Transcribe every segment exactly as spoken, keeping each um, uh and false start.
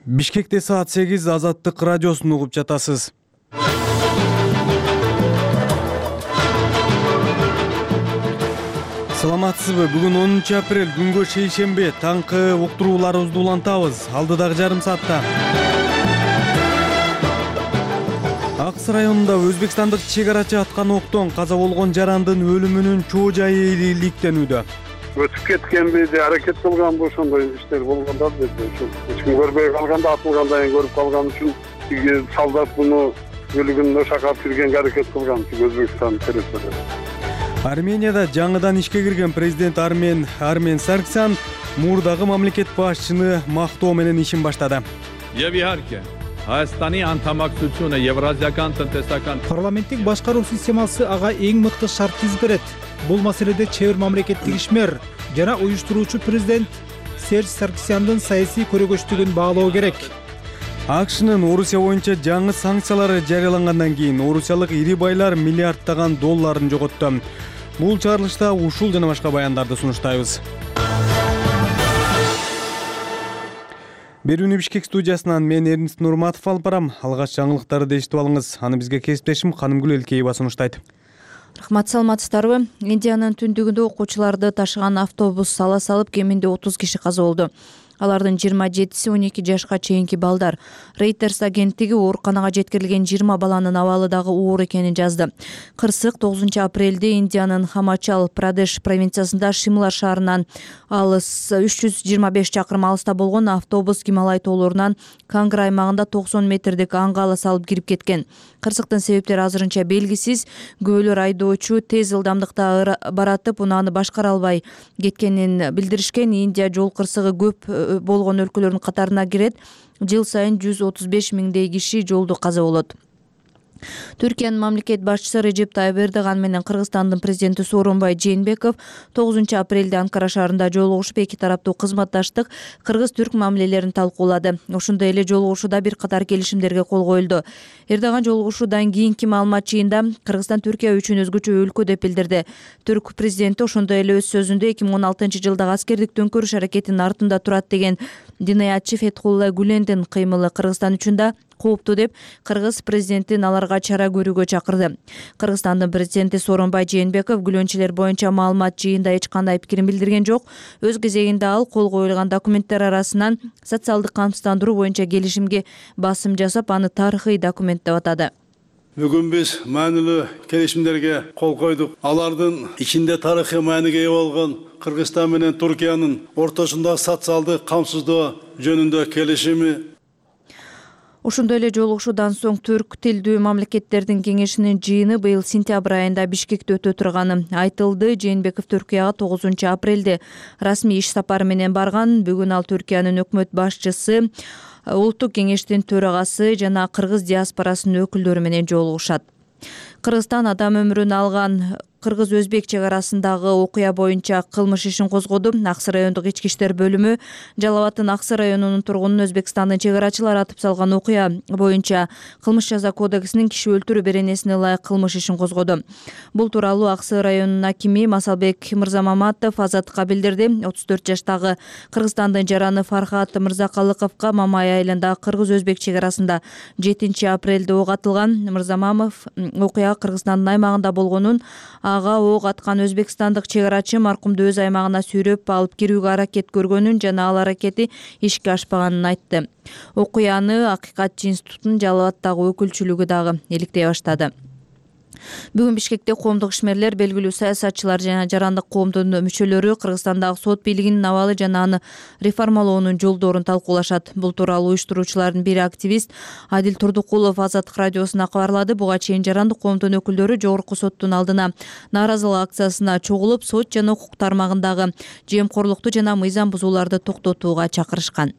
Бишкекте саат сегиз Азаттык радиосун угуп жатасыз. Саламатсызбы? Бүгүн онунчу апрель, күнгө шейшембе. Таңкы уктурууларыбызды улантабыз. Алдыдагы жарым саатта Акс районунда өзбекстандык чек-арачы аткан октон каза болгон жарандын өлүмүнүн чоо жайы иликтенүүдө. Өтүп кеткенби же аракет кылганбы ошондой иштер болгондо деди. Эч ким көрбөй калганда, атылгандан кийин көрүп калган үчүн тиги солдат буну өлүгүнө шакап жүргенге аракет кылган Өзбекстан территориясында. Арменияда жаңыдан ишке кирген президент Армен Армен Саркисян мурдагы мамлекет башчыны мактоо менен ишин баштады. Парламенттик башкаруу системасы ага эң мыкты шарт түзүп берет. Бул маселеде чебер мамлекеттик ишмер жана уюштуруучу президент Серж Саркисяндын саясий көрөгөчтүгүн баалоо керек. АКШнын Орусия боюнча жаңы санкциялары жарыялангандан кийин орусиялык ири байлар миллиарддаган долларын жоготту. Бул чыгарылышта ушул жана башка баяндарды сунуштайбыз. Берүүнү Бишкек студиясынан мен Эрнст Нурматов алып барам. Алгач жаңылыктарды эшитип алыңыз. Аны бизге кесиптешим Канымгүл Элкеева сунуштайт. Рахмат, саламатсыздарбы? Индиянын түндүгүндө окуучуларды ташыган автобус сала салып, кеминде отуз киши каза болду. Алардын жыйырма жетиси он эки жашка чейинки балдар. Reuters агенттиги ооруканага жеткирилген жыйырма баланын абалы дагы оор экенин жазды. Кырсык тогузунчу апрелде Индиянын Хамачал Прадеш провинциясында Шимла шаарынан алыс үч жүз жыйырма беш чакырым алыста болгон автобус Гималай тоолорунан Кангр аймагында токсон метрдик аңгала салып кирип кеткен. Кырсыктын себептери азырынча белгисиз. Күбөлөр айдоочу тез ылдамдыкта баратып, унааны башкара албай кеткенин билдиришкен. Индия жол кырсыгы көп болгон өлкөлөрдүн катарына кирет. Жыл сайын жүз отуз беш миңдей киши жолдо каза болот. Түркиянын мамлекет башчысы Режеп Тайып Эрдоган менен Кыргызстандын президенти Сооронбай Жээнбеков тогузунчу апрелде Анкара шаарында жолугушуп, эки тараптуу кызматташтык, кыргыз-түрк мамилелерин талкуулады. Ошондой эле жолугушууда бир катар келишимдерге кол коюлду. Эрдоган жолугушуудан кийинки маалымат жыйында Кыргызстан Түркия үчүн өзгөчө өлкө деп билдирди. Түрк президенти ошондой эле өз сөзүндө эки миң он алтынчы жылдагы аскердик төңкөрүш аракетинин артында турат деген динаятчы Фетхулла Гүлендин кыймылы Кыргызстан үчүн да кооптуу деп кыргыз президентин аларга чара көрүүгө чакырды. Кыргызстандын президенти Сооронбай Жээнбеков күлөнчүлөр боюнча маалымат жыйында эч кандай пикирин билдирген жок. Өз кезегинде ал кол коюлган документтер арасынан социалдык камсыздандыруу боюнча келишимге басым жасап, аны тарыхый документ деп атады. Бүгүн биз маанилүү келишимдерге кол койдук. Алардын ичинде тарыхый мааниге ээ болгон Кыргызстан менен Түркиянын ортосундагы социалдык камсыздоо жөнүндө келишими. Ошондой эле жолугушуудан соң түрк тилдүү мамлекеттердин кеңешинин жыйыны быйыл сентябрь айында Бишкекте өтө турганы айтылды. Жээнбеков Түркияга тогузунчу апрелде расмий иш сапары менен барган. Бүгүн ал Түркиянын өкмөт башчысы, улуттук кеңештин төрагасы жана кыргыз диаспорасынын өкүлдөрү менен жолугушат. Кыргызстан адам өмүрүн алган кыргыз-өзбек чек арасындагы окуя боюнча кылмыш ишин козгоду. Аксы райондук ички иштер бөлүмү Жалал Абадтын Аксы районунун тургунун Өзбекстандын чек арачылары атып салган окуя боюнча кылмыш жаза кодексинин киши өлтүрүү беренесине ылайык кылмыш ишин козгоду. Бул тууралуу Аксы районунун акими Масалбек Мырзамаматов Азаттыкка билдирди. отуз төрт жаштагы Кыргызстандын жараны Фархат Мырзакалыковго Мамай айылындагы кыргыз-өзбек чек арасында жетинчи апрелде ок атылган. Мырзамамов окуя Кыргызстандын аймагында болгонун, ага ок аткан өзбекстандык чек арачы маркумду өз аймагына сүйрөп алып кирүүгө аракет көргөнүн жана ал аракети ишке ашпаганын айтты. Окуяны Акыйкатчы институтунун Жалал Абадтагы өкүлчүлүгү дагы иликтей баштады. Бүгүн Бишкекте коомдук ишмерлер, белгилүү саясатчылар жана жарандык коомдун мүчөлөрү Кыргызстандагы сот бийлигинин абалы жана аны реформалоонун жолдорун талкуулашат. Бул тууралуу уюштуруучулардын бири активист Адил Турдукулов Азаттык радиосуна кабарлады. Буга чейин жарандык коомдун өкүлдөрү жогорку соттун алдына нааразылык акциясына чогулуп, сот жана укук тармагындагы жемкорлукту жана мыйзам бузууларды токтотууга чакырышкан.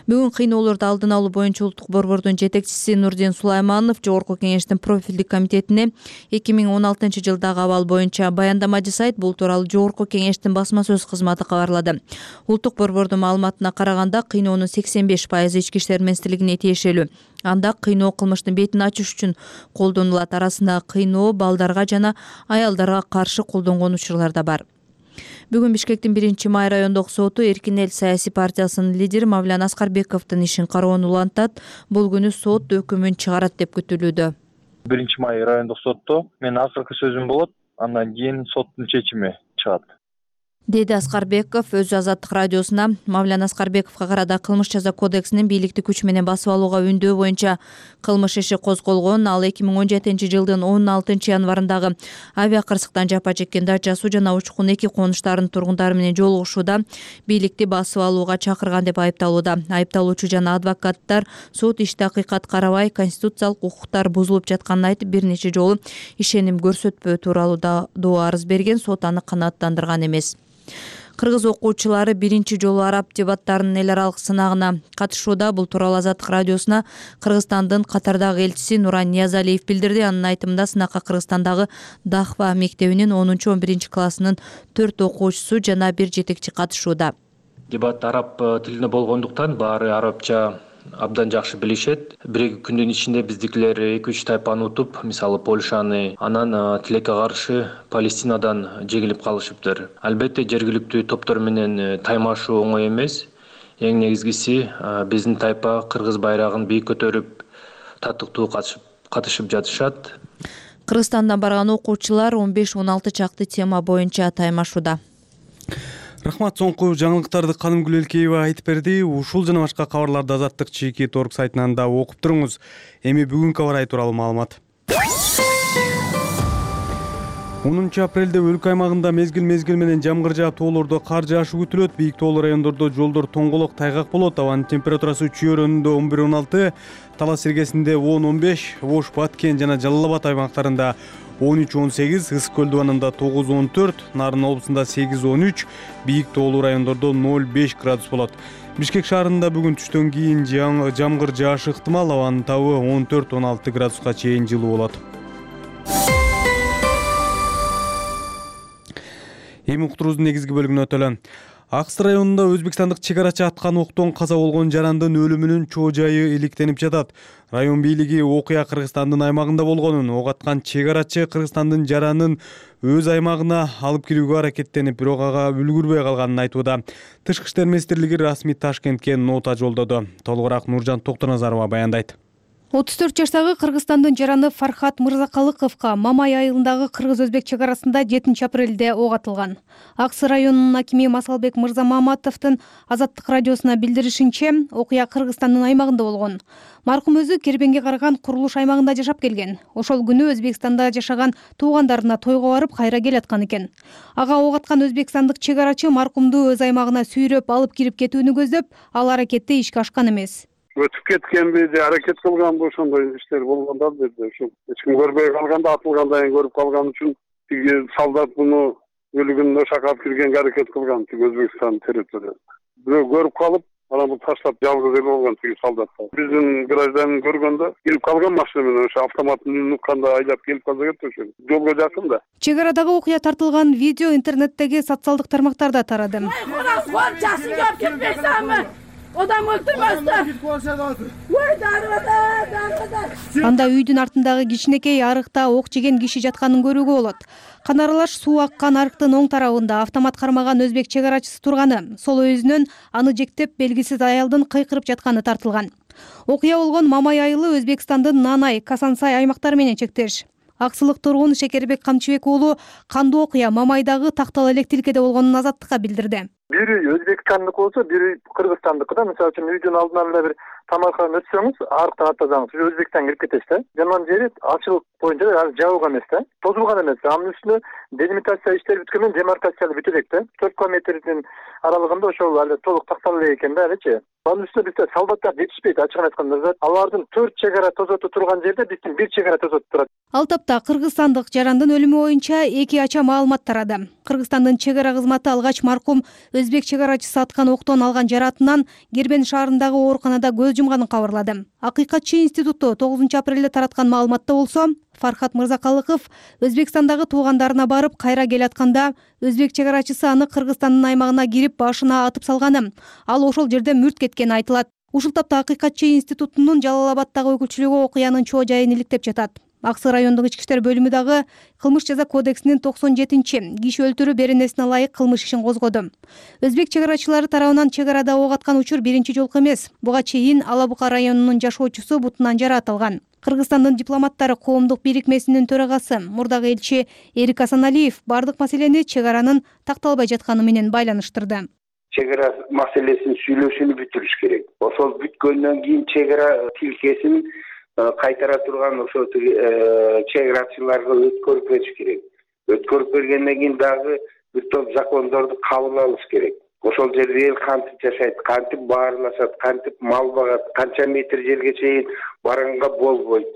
Бүгүн кыйноолорду алдын алуу боюнча улуттук борбордун жетекчиси Нурдин Сулайманов Жогорку кеңештин профилдик комитетине эки миң он алтынчы жылдагы абал боюнча баяндама жасайт. Бул тууралуу Жогорку кеңештин басма сөз кызматы кабарлады. Улуттук борбордун маалыматына караганда кыйноонун сексен беш пайызы ички иштер министрлигине тиешелүү. Анда кыйноо кылмыштын бетин ачыш үчүн колдонулат. Арасында кыйноо балдарга жана аялдарга каршы колдонгон учурлар да бар. Бүгүн Бишкектин биринчи май райондук соту Эркин эл саясий партиясынын лидери Мавлян Аскарбековдун ишин кароону улантат. Бул күнү сот өкүмүн чыгарат деп күтүлүүдө. биринчи май райондук сотто менин акыркы сөзүм болот, андан кийин соттун чечими чыгат, деди Аскарбеков өз Азаттык радиосуна. Мавлян Аскарбековго карата кылмыш жаза кодексинин бийликти күч менен басып алууга үндөө боюнча кылмыш иши козголгон. Ал эки миң он жетинчи жылдын он алтынчы январындагы авиа кырсыктан жапа чеккен Дача суу жана Учкун эки конуштарынын тургундары менен жолугушууда бийликти басып алууга чакырган деп айыпталууда. Айыпталуучу жана адвокаттар сот ишти акыйкат карабай, конституциялык укуктар бузулуп жатканын айтып, бир нече жолу ишеним көрсөтпөө тууралуу доо арыз берген. Сот аны канааттандырган эмес. Кыргыз окуучулары биринчи жолу араб дебаттарынын эл аралык сынагына катышууда. Бул тууралуу Азаттык радиосуна Кыргызстандын Катардагы элчиси Нуран Ниязалиев билдирди. Анын айтымында сынакка Кыргызстандагы Дахва мектебинин онунчу он биринчи классынын төрт окуучусу жана бир жетекчи катышууда. Дебат араб тилинде болгондуктан баары арабча абдан жакшы билишет. Бир күндүн ичинде биздикилер эки үч тайпаны утуп, мисалы Польшаны, анан тилекке каршы Палестинадан жегилип калышыптыр. Албетте жергиликтүү топтор менен таймашуу оңой эмес. Эң негизгиси биздин тайпа кыргыз байрагын бийик көтөрүп, татыктуу катышып жатышат. Кыргызстандан барган окуучулар он беш он алты чакты тема боюнча таймашууда. Рахмат, соңку жаңылыктарды Канымгүл Элкеева айтып берди. Ушул жана башка кабарларды Азаттык чеки торг сайтынан да окуп туруңуз. Эми бүгүнкү аба ырайы тууралуу маалымат. онунчу апрелде өлкө аймагында мезгил-мезгил менен жамгыр жаап, тоолордо кар жаашы күтүлөт. Бийик тоолуу райондордо жолдор тоңголок, тайгак болот. Абанын температурасы Чүйөр өнүндө он бир он алты, Талас Иргесинде он он беш, Ош, Баткен жана Жалал Абад аймактарында он үч он сегиз, Ысык көл дубанында тогуз он төрт, Нарын облусунда сегиз он үч, бийик тоолуу райондордо ноль беш градус болот. Бишкек шаарында бүгүн түштөн кийин жамгыр жаашы ыктымал. Абанын табы он төрт он алты градуска чейин жылуу болот. Эми уктуруубуздун негизги бөлүгүнө өтөлө. Аксы районунда өзбекстандык чек арачы аткан октон каза болгон жарандын өлүмүнүн чоо жайы иликтенип жатат. Район бийлиги окуя Кыргызстандын аймагында болгонун, ок аткан чек арачы Кыргызстандын жаранын өз аймагына алып кирүүгө аракеттенип, бирок ага үлгүрбөй калганын айтууда. Тышкы иштер министрлиги расмий Ташкентке нота жолдоду. Толугураак Нуржан Токтоназарова баяндайт. отуз төрт жаштагы Кыргызстандын жараны Фархат Мырзакалыковго Мамай айылындагы кыргыз-өзбек чек арасында жетинчи апрелде ок атылган. Аксы районунун акими Масалбек Мырзамаматовдун Азаттык радиосуна билдиришинче, окуя Кыргызстандын аймагында болгон. Маркум өзү Кербенге караган курулуш аймагында жашап келген. Ошол күнү Өзбекстанда жашаган туугандарына тойго барып кайра келаткан экен. Ага ок аткан өзбекстандык чек арачы маркумду өз аймагына сүйрөп алып кирип кетүүнү көздөп, ал аракетти ишке ашкан эмес. Өтүп кеткенби же аракет кылганбы, ошондой иштер болгондор деди. Ошо эч ким көрбөй калганда, атылгандан кийин көрүп калган үчүн тиги солдат муну өлүгүн ошака алып киргенге аракет кылган, тиги Өзбекстан территориясында. Бирөө көрүп калып, анан бул таштап жалгыз эле болгон тиги солдаттар. Биздин гражданин көргөндө келип калган машина менен ошо автоматын укканда айлап келип калса кетти, ошо жолго жакын да. Чек арадагы окуя тартылган видео интернеттеги социалдык тармактарда тарады. Odam öldürmezler. Анда үйдүн артындагы кичинекей арыкта ок жеген киши жатканын көрүүгө болот. Канаралаш суу аккан арыктын оң тарабында автомат кармаган өзбек чек арачысы турганы, сол өзүнөн аны жектеп белгисиз аялдын кыйкырып жатканы тартылган. Окуя болгон Мамай айылы Өзбекстандын Нанай, Касансай аймактары менен чектеш. Аксылык тургун Шекербек Камчыбек уулу кандуу окуя Мамайдагы Тактал электрикеде болгонун Азаттыкка билдирди. Бири Өзбекстандык болсо, бири Кыргызстандык да. Мисалы үчүн үйдүн алдынан эле бир тамакка өтсөңүз, арыктан аттасаңыз, Өзбекстан кирип кетесиз да. Жаман жери ачылык боюнча жабылган эмес да. Тозулган эмес. Анын үстүнө делимитация иштери бүткөн менен демаркация бүтө элек да. төрт километрдин аралыгында ошол эле толук тактала элек экен да, элечи. Анын үстүнө бизде солдаттар жетишпейт, ачыгын айтканда. Алардын төрт чек ара тозоту турган жерде биздин бир чек ара тозоту турат. Ал тапта кыргызстандык жарандын өлүмү боюнча эки ача маалымат тарады. Кыргызстандын чек ара кызматы алгач маркум өзбек чек арачысы аткан октон алган жаратынан Кербен шаарындагы ооруканада көз жумганын кабарлады. Акыйкатчы институту тогузунчу апрелде тараткан маалыматта болсо, Фархат Мырзакалыков Өзбекстандагы туугандарына барып кайра келатканда өзбек чек арачысы аны Кыргызстандын аймагына кирип башына атып салганы, ал ошол жерде мүрт кеткени айтылат. Ушул тапта Акыйкатчы институтунун Жалал Абаддагы өкүлчүлүгү окуянын чоо жайын иликтеп жатат. Ак Сый райондук ички иштер бөлүмү дагы кылмыш жаза кодексинин токсон жетинчи киши өлтүрүү беренесине ылайык кылмыш ишин козгоду. Өзбек чек арачылары тарабынан чек арада ок аткан учур биринчи жолку эмес. Буга чейин Ала Бука районунун жашоочусу бутунан жаракат. Кыргызстандын дипломаттары коомдук бирикмесинин төрагасы мурдагы элчи Эрик Асаналиев бардык маселени чек аранын такталбай жатканы менен байланыштырды. Чек ара маселесин сүйлөшүүнү бүтүрүш керек. Ошол бүткөндөн кийин чек ара тилкесин кайтара турган ошо чек арачыларга өткөрүп бериш керек. Өткөрүп бергенден кийин дагы бир топ закондорду кабыл алыш керек. Ошол жерде эл кантип жашайт, кантип баарлашат, кантип мал багат, канча метр жерге чейин барганга болбойт,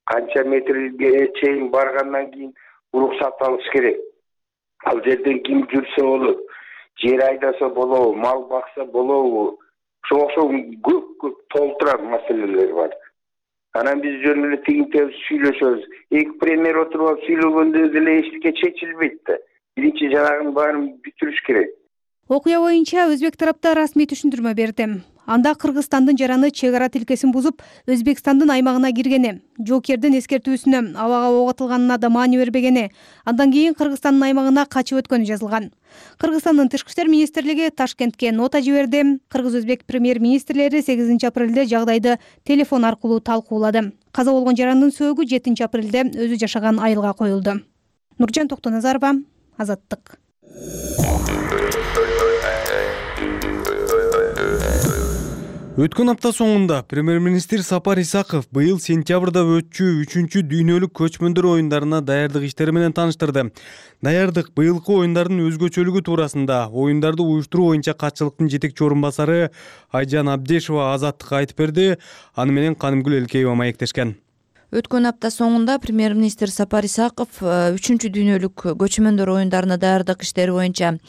канча метрге чейин баргандан кийин уруксат алыш керек. Ал жерден ким жүрсө болот, жер айдаса болобу, мал бакса болобу, ошо ошол көп көп толтуран маселелер бар. Анан биз жөн эле тигинтеп сүйлөшөбүз. Эки премьер отуруп алып сүйлөгөндө деле эчтеке чечилбейт да. Биринчи жанагын баарын бүтүрүш керек. Окуя боюнча өзбек тарапта расмий түшүндүрмө берди. Анда Кыргызстандын жараны чек ара тилкесин бузуп, Өзбекстандын аймагына киргени, жоокердин эскертүүсүнө абага ок атылганына да маани бербегени, андан кийин Кыргызстандын аймагына качып өткөнү жазылган. Кыргызстандын Тышкы иштер министрлиги Ташкентке нота жиберди. Кыргыз-Өзбек премьер-министрлери сегизинчи апрелде жагдайды телефон аркылуу талкуулады. Каза болгон жарандын сөөгү жетинчи апрелде өзү жашаган айылга коюлду. Нуржан Токтоназарова, Азаттык. Өткөн апта соңунда премьер-министр Сапар Исаков быйыл сентябрда өтчү үчүнчү дүйнөлүк көчмөндөр оюндарына даярдык иштери менен тааныштырды. Даярдык быйылкы оюндардын өзгөчөлүгү туурасында оюндарды уюштуруу боюнча катчылыктын жетекчи орун басары Айжан Абдешова Азаттыкка айтып берди. Аны менен Канымгүл Элкеева маектешкен. Өткөн апта соңунда премьер-министр Сапар Исаков үчүнчү дүйнөлүк көчмөндөр оюндарына даярдык иштери боюнча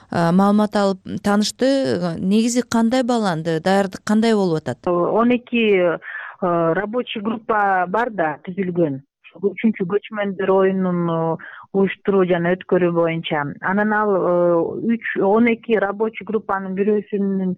маалымат алып таанышты. Негизи кандай бааланды, даярдык кандай болуп атат? он эки рабочий группа бар да түзүлгөн. Үчүнчү көчмөндөр оюнун уюштуруу жана өткөрүү боюнча. Анан ал үч он эки рабочий группанын бирөөсүнүн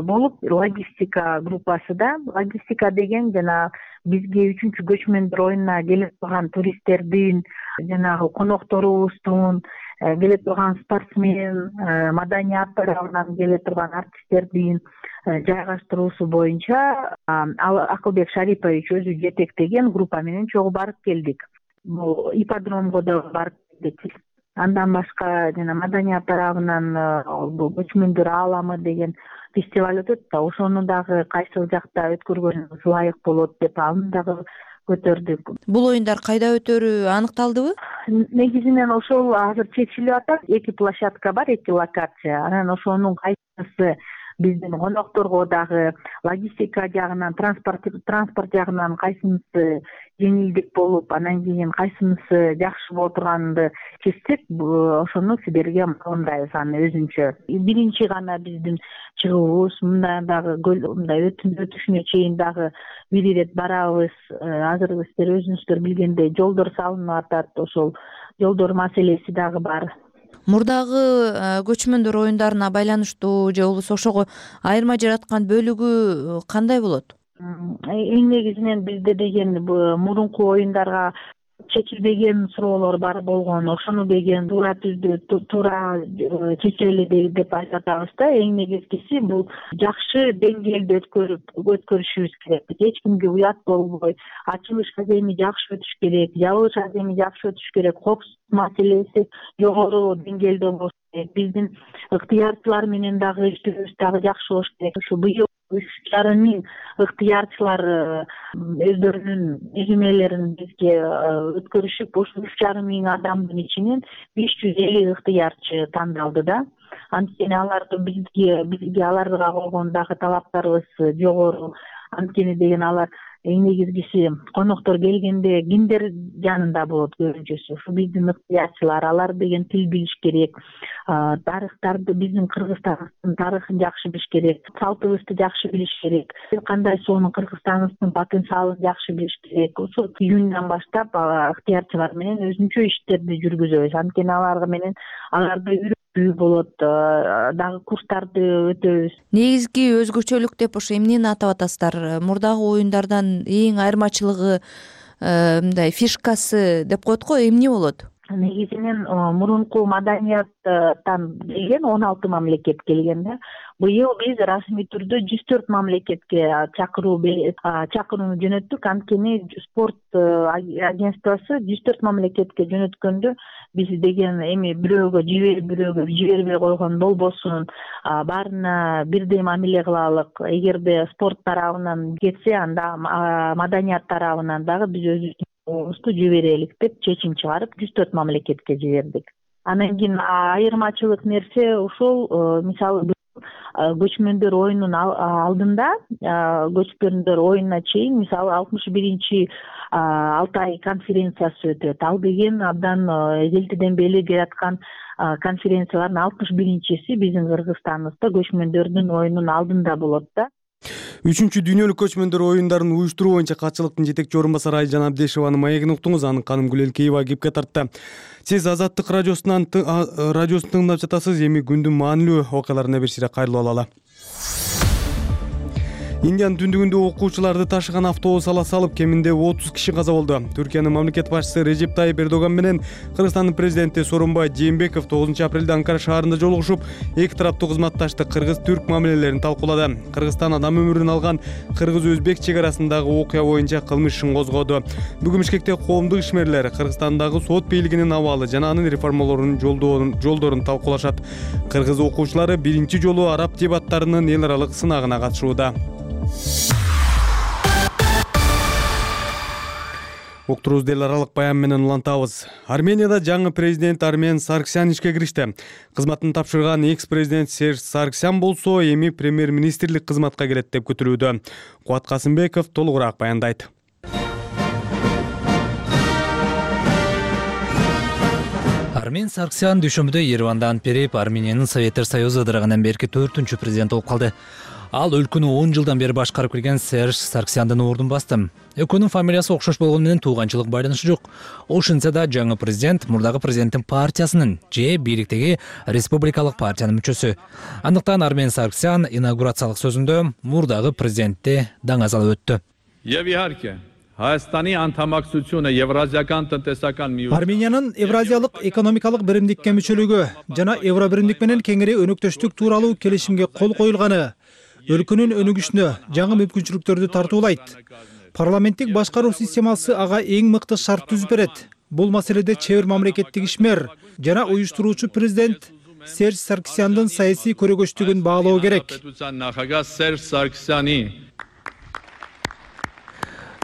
болуп логистика группасы да. Логистика деген жана бизге үчүнчү көчмөндөр оюнуна келип турган туристтердин, жанагы конокторубуздун, келе турган спортсмен, маданият тарабынан келе турган артисттердин жайгаштыруусу боюнча Акылбек Шарипович өзү жетектеген группа менен чогуу барып келдик. Бул ипподромго да барып келдик. Андан башка жана маданият тарабынан көчмөндөр ааламы деген фестиваль өтөт да, ошону дагы кайсыл жакта өткөргөнүбүз ылайык болот деп аны дагы көтөрдүк. Бул оюндар кайда өтөрү аныкталдыбы? Негизинен ошол азыр чечилип атат. Эки площадка бар, эки локация. Анан ошонун кайсысы биздин конокторго дагы логистика жагынан, транспорт транспорт жагынан кайсынысы жеңилдик болуп, анан кийин кайсынысы жакшы боло турганды чечсек, ошону силерге маалымдайбыз аны өзүнчө. Биринчи гана биздин чыгуубуз, мындай дагы мындай өтүшүнө чейин дагы бир ирет барабыз. Азыр силер өзүңүздөр билгендей жолдор салынып атат, ошол жолдор маселеси дагы бар. Мурдагы көчмөндөр оюндарына байланыштуу же болбосо ошого айырма жараткан бөлүгү кандай болот? Эң негизинен бизде деген мурунку оюндарга чечилбеген суроолор бар болгон. Ошону деген туура түздү, туура чечели деп айтып атабыз да. Эң негизгиси бул жакшы деңгээлде өткөрүп өткөрүшүбүз керек. Эч кимге уят болбой, ачылыш аземи жакшы өтүш керек, жабылыш аземи жакшы өтүш керек, коопсуздук маселеси жогору деңгээлде болуш керек. Биздин ыктыярчылар менен дагы иштөөбүз дагы жакшы болуш керек. Ушу быйыл үч жарым миң ыктыярчылар өздөрүнүн изимелерин бизге өткөрүшүп, ушул үч жарым миң адамдын ичинен беш жүз элүү ыктыярчы тандалды да. Анткени аларды бизге бизге аларга койгон дагы талаптарыбыз жогору. Анткени деген алар эң негизгиси коноктор келгенде кимдер жанында болот көбүнчөсү. Ушу биздин ыктыярчылар, алар деген тил билиш керек. Тарыхтарды, биздин Кыргызстандын тарыхын жакшы билиш керек. Салтыбызды жакшы билиш керек. Кандай сонун Кыргызстаныбыздын потенциалын жакшы билиш керек. Ошол июндан баштап ыктыярчылар менен өзүнчө иштерди жүргүзөбүз. Анткени аларга менен аларды үйрөтүү болот, дагы курстарды өтөбүз. Негизги өзгөчөлүк деп ошо эмнени атап атасыздар? Мурдагы оюндардан эң айырмачылыгы мындай фишкасы деп коет го, эмне болот? Негизинен мурунку маданияттан келген он алты мамлекет келген да. Быйыл биз расмий түрдө жүз төрт мамлекетке чакыруу чакырууну жөнөттүк. Анткени спорт агентствосы жүз төрт мамлекетке жөнөткөндө биз деген эми бирөөгө жиберип бирөөгө жибербей койгон болбосун, баарына бирдей мамиле кылалык. Эгерде спорт тарабынан кетсе, анда маданият тарабынан дагы биз өзүбүздүн оңузду жиберелик деп чечим чыгарып жүз төрт мамлекетке жибердик. Анан кийин айырмачылык нерсе ушул, мисалы көчмөндөр оюнунун алдында, көчмөндөр оюнуна чейин мисалы алтымыш биринчи Алтай конференциясы өтөт. Ал деген абдан эзелтеден бери келаткан конференциялардын алтымыш биринчиси биздин Кыргызстаныбызда көчмөндөрдүн оюнунун алдында болот да. Үчүнчү дүйнөлүк көчмөндөр оюндарын уюштуруу боюнча катчылыктын жетекчи орун басары Айжан Абдешеванын маегин уктуңуз. Анын Каным Гүлелкеева кепке тартты. Сиз Азаттык радиосунан радиосын тыңдап жатасыз. Эми күндүн маанилүү окуяларына бир сире кайрылып алалы. Индиянын түндүгүндө окуучуларды ташыган автобус ала салып, кеминде отуз киши каза болду. Түркиянын мамлекет башчысы Режеп Тайип Эрдоган менен Кыргызстандын президенти Сооронбай Жээнбеков тогузунчу апрелде Анкара шаарында жолугушуп, эки тараптуу кызматташтык кыргыз-түрк мамилелерин талкуулады. Кыргызстан адам өмүрүн алган кыргыз-өзбек чек арасындагы окуя боюнча кылмыш ишин козгоду. Бүгүн Бишкекте коомдук ишмерлер Кыргызстандагы сот бийлигинин абалы жана анын реформаларынын жолдорун талкуулашат. Кыргыз окуучулары биринчи жолу араб дебаттарынын эл аралык сынагына катышууда. Уктурубузду эл аралык баян менен улантабыз. Арменияда жаңы президент Армен Саркисян ишке киришти. Кызматын тапшырган экс-президент Серж Саркисян болсо эми премьер-министрлик кызматка келет деп күтүлүүдө. Кубат Касымбеков толугураак баяндайт. Армен Саркисян дүйшөмбүдө Ереванда ант берип, Армениянын Советтер Союзу ыдырыгандан берки төртүнчү президент болуп калды. Ал өлкөнү он жылдан бери башкарып келген Серж Саркисяндын ордун басты. Экөөнүн фамилиясы окшош болгону менен тууганчылык байланышы жок. Ошентсе да жаңы президент мурдагы президенттин партиясынын же бийликтеги республикалык партиянын мүчөсү. Андыктан Армен Саркисян инаугурациялык сөзүндө мурдагы президентти даңазалап өттү. Армениянын Евразиялык экономикалык биримдикке мүчөлүгү жана Евро биримдик менен кеңири өнөктөштүк тууралуу келишимге кол коюлганы өлкөнүн өнүгүшүнө жаңы мүмкүнчүлүктөрдү тартуулайт. Парламенттик башкаруу системасы ага эң мыкты шарт түзүп берет. Бул маселеде чебер мамлекеттик ишмер жана уюштуруучу президент Серж Саркисяндын саясий көрөгөчтүгүн баалоо керек.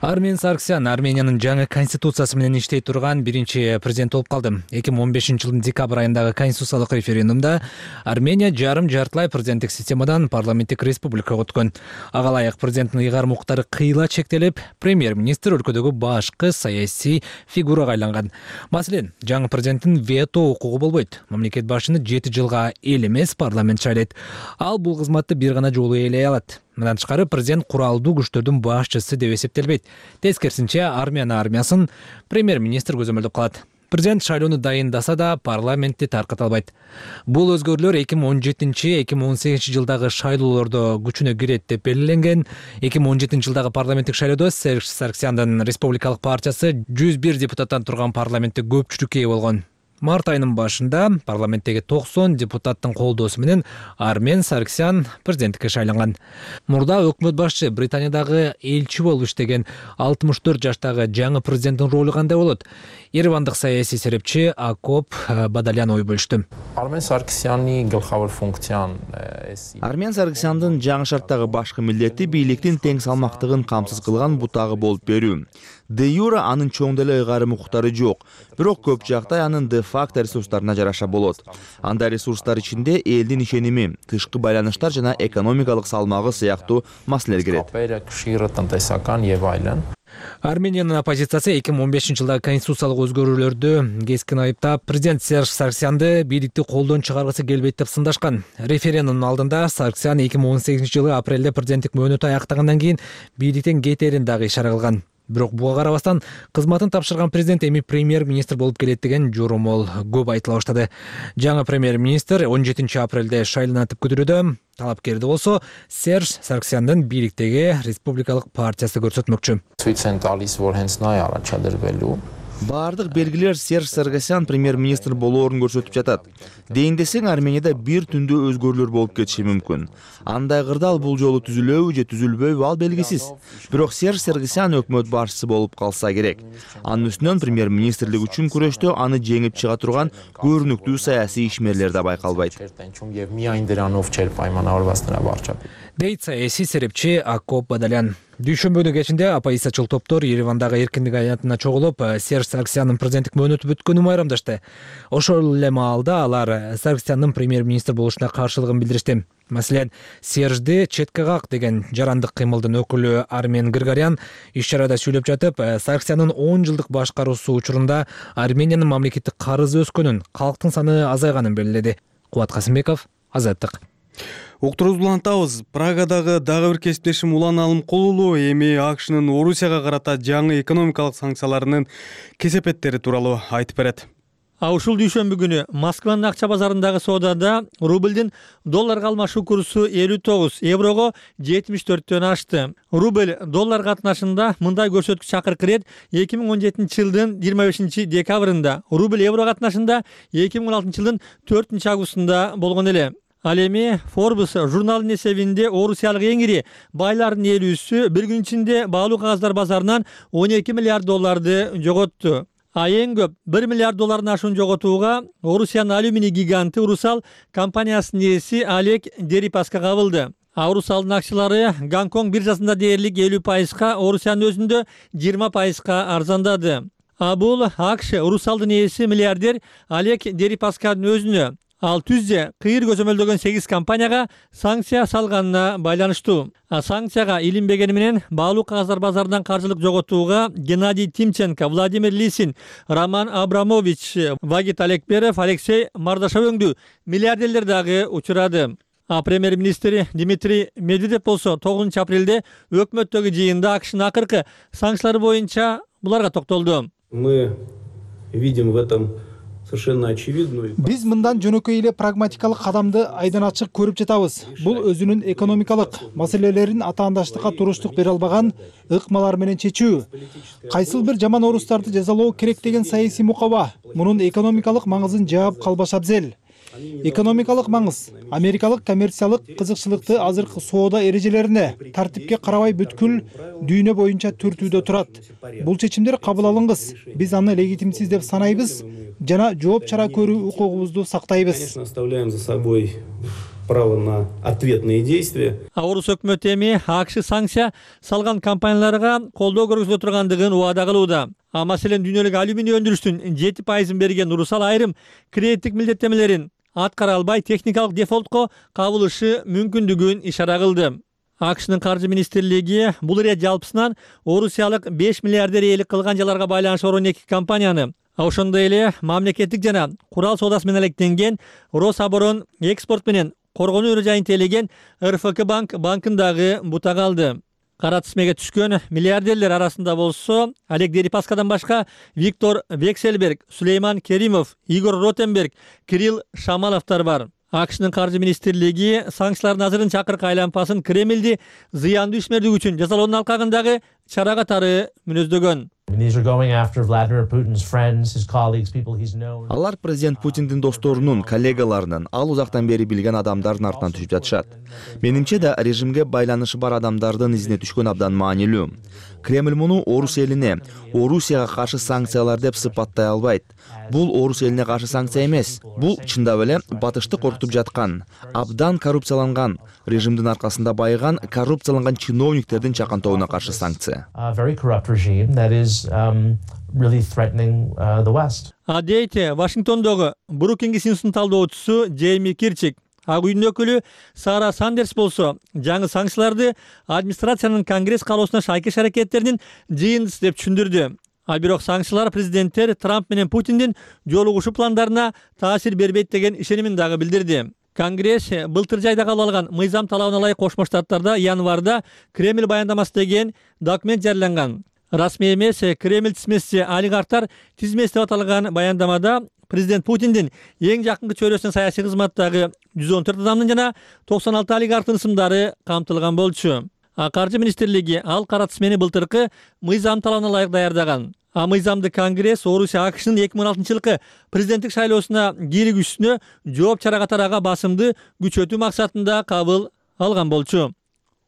Армен Саркисян Армениянын жаңы конституциясы менен иштей турган биринчи президент болуп калды. эки миң он бешинчи жылдын декабрь айындагы конституциялык референдумда Армения жарым-жартылай президенттик системадан парламенттик республикага өткөн. Ага ылайык президенттин ыйгарым укуктары кыйла чектелип, премьер-министр өлкөдөгү башкы саясий фигурага айланган. Маселен, жаңы президенттин вето укугу болбойт. Мамлекет башчыны жети жылга эл эмес парламент шайлайт. Ал бул кызматты бир гана жолу ээлей алат. Мындан тышкары президент куралдуу күчтөрдүн башчысы деп эсептелбейт. Тескерисинче Армения армиясын премьер-министр көзөмөлдөп калат. Президент шайлоону дайындаса да парламентти тарката албайт. Бул өзгөрүүлөр эки миң он жетинчи эки миң он сегизинчи жылдагы шайлоолордо күчүнө кирет деп белгиленген. эки миң он жетинчи жылдагы парламенттик шайлоодо Серж Саркисяндын республикалык партиясы жүз бир депутаттан турган парламентте көпчүлүккө ээ болгон. Март айынын башында парламенттеги токсон депутаттын колдоосу менен Армен Саркисян президенттикке шайланган. Мурда өкмөт башчы Британиядагы элчи болуп иштеген алтымыш төрт жаштагы жаңы президенттин ролу кандай болот? Еревандык саясий серепчи Акоп Бадалян ой бөлүштү. Армен Саркисянны гылхавар функциян Армен Саркисяндын жаңы шарттагы башкы милдети бийликтин тең салмактыгын камсыз кылган бутагы болуп берүү. Де юре анын чоң деле ыйгарым укуктары жок, бирок көп жакта анын де факто ресурстарына жараша болот. Анда ресурстар ичинде элдин ишеними, тышкы байланыштар жана экономикалык салмагы сыяктуу маселелер кирет. Армениянын оппозициясы эки миң он бешинчи жылдагы конституциялык өзгөрүүлөрдү кескин айыптап, президент Серж Саркисянды бийликти колдон чыгаргысы келбейт деп сындашкан. Референдумдун алдында Саркисян эки миң он сегизинчи жылы апрелде президенттик мөөнөтү аяктагандан кийин бийликтен кетерин дагы ишара кылган. Бирок буга карабастан кызматын тапшырган президент эми премьер-министр болуп келет деген жоромол көп айтыла баштады. Жаңы премьер-министр он жетинчи апрелде шайланатып көтөрүүдө. Талапкерди болсо Серж Сарксяндын бийликтеги республикалык партиясы көрсөтмөкчү. Бардык белгилер Серж Сарксян премьер-министр болоорун көрсөтүп жатат. Дейин десең, Арменияда бир түндө өзгөрүүлөр болуп кетиши мүмкүн. Андай кырдаал бул жолу түзүлөбү же түзүлбөйбү ал белгисиз. Бирок Серж Сарксян өкмөт башчысы болуп калса керек. Анын үстүнөн премьер-министрлик үчүн күрөштө аны жеңип чыга турган көрүнүктүү саясий ишмерлер да байкалбайт. Дейт саясий серепчи Акоп Бадалян. Дүйшөмбүнүн кечинде оппозициячыл топтор Еревандагы эркиндик аянтына чогулуп, Серж Сарксяндын президенттик мөөнөтү бүткөнүн майрамдашты. Ошол эле маалда алар Сарксяндын премьер-министр болушуна каршылыгын билдиришти. Маселен, Сержди четке как деген жарандык кыймылдын өкүлү Армен Григорян иш-чарада сүйлөп жатып, Сарксяндын он жылдык башкаруусу учурунда Армениянын мамлекеттик карызы өскөнүн, калктын саны азайганын белгиледи. Кубат Касымбеков, Азаттык. Уктурубузду улантабыз. Прагадагы дагы бир кесиптешим Улан Алымкулуу эми АКШнын Орусияга карата жаңы экономикалык санкцияларынын кесепеттери тууралуу айтып берет. А ушул дүйшөмбү күнү Москванын акча базарындагы соодада рублдин долларга алмашуу курсу элүү тогуз еврого жетимиш төрттөн ашты. Рубль доллар катнашында мындай көрсөткүч акыркы ирет эки миң он жетинчи жылдын жыйырма бешинчи декабрында, рубль евро катнашында эки миң он алтынчы жылдын төртүнчү августунда болгон эле. Ал эми Forbes журналынын эсебинде орусиялык эң ири байлардын элүүсү бир күн ичинде баалуу кагаздар базарынан он эки миллиард долларды жоготту. А эң көп бир миллиард доллардын ашуун жоготууга Орусиянын алюминий гиганты Урусал компаниясынын ээси Олег Дерипаска кабылды. А Урусалдын акчалары Гонконг биржасында дээрлик элүү пайызга, Орусиянын өзүндө жыйырма пайызга арзандады. А бул АКШ Урусалдын ээси миллиардер Олег Дерипасканын өзүнө, ал түзде кыйыр көзөмөлдөгөн сегиз компанияга санкция салганына байланыштуу. А санкцияга илинбегени менен баалуу кагаздар базарынан каржылык жоготууга Геннадий Тимченко, Владимир Лисин, Роман Абрамович, Вагит Алекперов, Алексей Мардашов өңдүү миллиардерлер дагы учурады. А премьер-министр Дмитрий Медведев болсо тогузунчу апрелде өкмөттөгү жыйында АКШнын акыркы санкциялары боюнча буларга токтолду. Мы видим в этом Биз мындан жөнөкөй эле прагматикалык кадамды айдан ачык көрүп жатабыз. Бул өзүнүн экономикалык маселелерин атаандаштыкка туруштук бере албаган ыкмалар менен чечүү. Кайсыл бир жаман орустарды жазалоо керек деген саясий мукаба мунун экономикалык маңызын жаап калбаш абзел. Экономикалык маңыз америкалык коммерциялык кызыкчылыкты азыркы соода эрежелерине тартипке карабай бүткүл дүйнө боюнча түртүүдө турат. Бул чечимдер кабыл алынгыс. Биз аны легитимсиз деп санайбыз жана жооп чара көрүү укугубузду сактайбыз. Оставляем за собой право на ответные действия. А орус өкмөтү эми АКШ санкция салган компанияларга колдоо көргөзүлө тургандыгын убада кылууда. А маселен дүйнөлүк алюминий өндүрүштүн жети пайызын берген Урусал айрым кредиттик милдеттемелерин аткара албай техникалык дефолтко кабылышы мүмкүндүгүн ишара кылды. АКШнын каржы министрлиги бул ирет жалпысынан орусиялык беш миллиардер ээлик кылган жаларга байланышлуу он эки компанияны, а ошондой эле мамлекеттик жана курал соодасы менен алектенген Рособорон экспорт менен коргонуу өрө жайын тейлеген эр эф ка банк банкын дагы бутага алды. Кара тизмеге түшкөн миллиардерлер арасында болсо Олег Дерипаскадан башка Виктор Вексельберг, Сулейман Керимов, Игорь Ротенберг, Кирилл Шамаловтар бар. АКШнын каржы министрлиги санкциялардын азырынча акыркы айланпасын Кремлди зыяндуу ишмердик үчүн жазалоонун алкагындагы чара катары мүнөздөгөн. Алар президент Путиндин досторунун, коллегаларынын, ал узактан бери билген адамдардын артынан түшүп жатышат. Менимче да режимге байланышы бар адамдардын изине түшкөн абдан маанилүү. Кремль муну орус элине, Орусияга каршы санкциялар деп сыпаттай албайт. Бул орус элине каршы санкция эмес. Бул чындап эле батышты коркутуп жаткан, абдан коррупцияланган, режимдин аркасында байыган, коррупцияланган чиновниктердин чакантобуна каршы санкция. А дейте Вашингтондогу Брукингс институтунун талдоочусу Джейми Кирчик. Ак үйдүн өкүлү Сара Сандерс болсо жаңы санкцияларды администрациянын Конгресс каалоосуна шайкеш аракеттеринин жыйындысы деп түшүндүрдү. А бирок санкциялар президенттер Трамп менен Путиндин жолугушуу пландарына таасир бербейт деген ишенимин дагы билдирди. Конгресс былтыр жайда кабыл алган мыйзам талабына ылайык Кошмо Штаттарда январда Кремль баяндамасы деген документ жарыяланган. Расмий эмес Кремль тизмеси олигархтар тизмеси деп аталган баяндамада президент Путиндин эң жакынкы чөйрөсүнүн саясий кызматтагы жүз он төрт адамдын жана токсон алты олигархтын ысымдары камтылган болчу. Каржы министрлиги ал кара тизмени былтыркы мыйзам талабына ылайык даярдаган. А мыйзамды Конгресс Орусия АКШнын эки миң он алтынчы жылкы президенттик шайлоосуна кииригүүсүнө жооп чара катары ага басымды күчөтүү максатында кабыл алган болчу.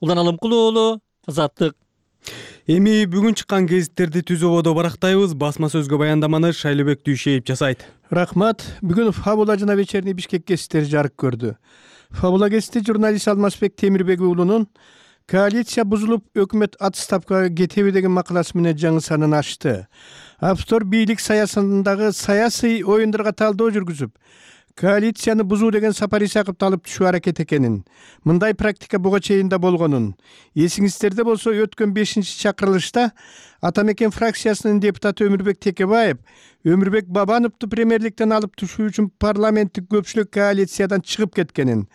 Улан Алымкулуу уулу, Азаттык. Эми бүгүн чыккан гезиттерди түз ободо барактайбыз. Басма сөзгө баяндаманы Шайлообек Дүйшеев жасайт. Рахмат. Бүгүн Фабула жана Вечерний Бишкек гезиттери жарык көрдү. Фабула гезити журналист Алмазбек Темирбек уулунун коалиция бузулуп, өкмөт отставкага кетеби деген макаласы менен жаңы санын ачты. Автор бийлик саясатындагы саясий оюндарга талдоо жүргүзүп, коалицияны бузуу деген Сапар Исаковду алып түшүү аракет экенин, мындай практика буга чейин да болгонун. Эсиңиздерде болсо, өткөн бешинчи чакырылышта Атамекен фракциясынын депутаты Өмүрбек Текебаев Өмүрбек Бабановду премьерликтен алып түшүү үчүн парламенттик көпчүлүк коалициядан чыгып кеткенин,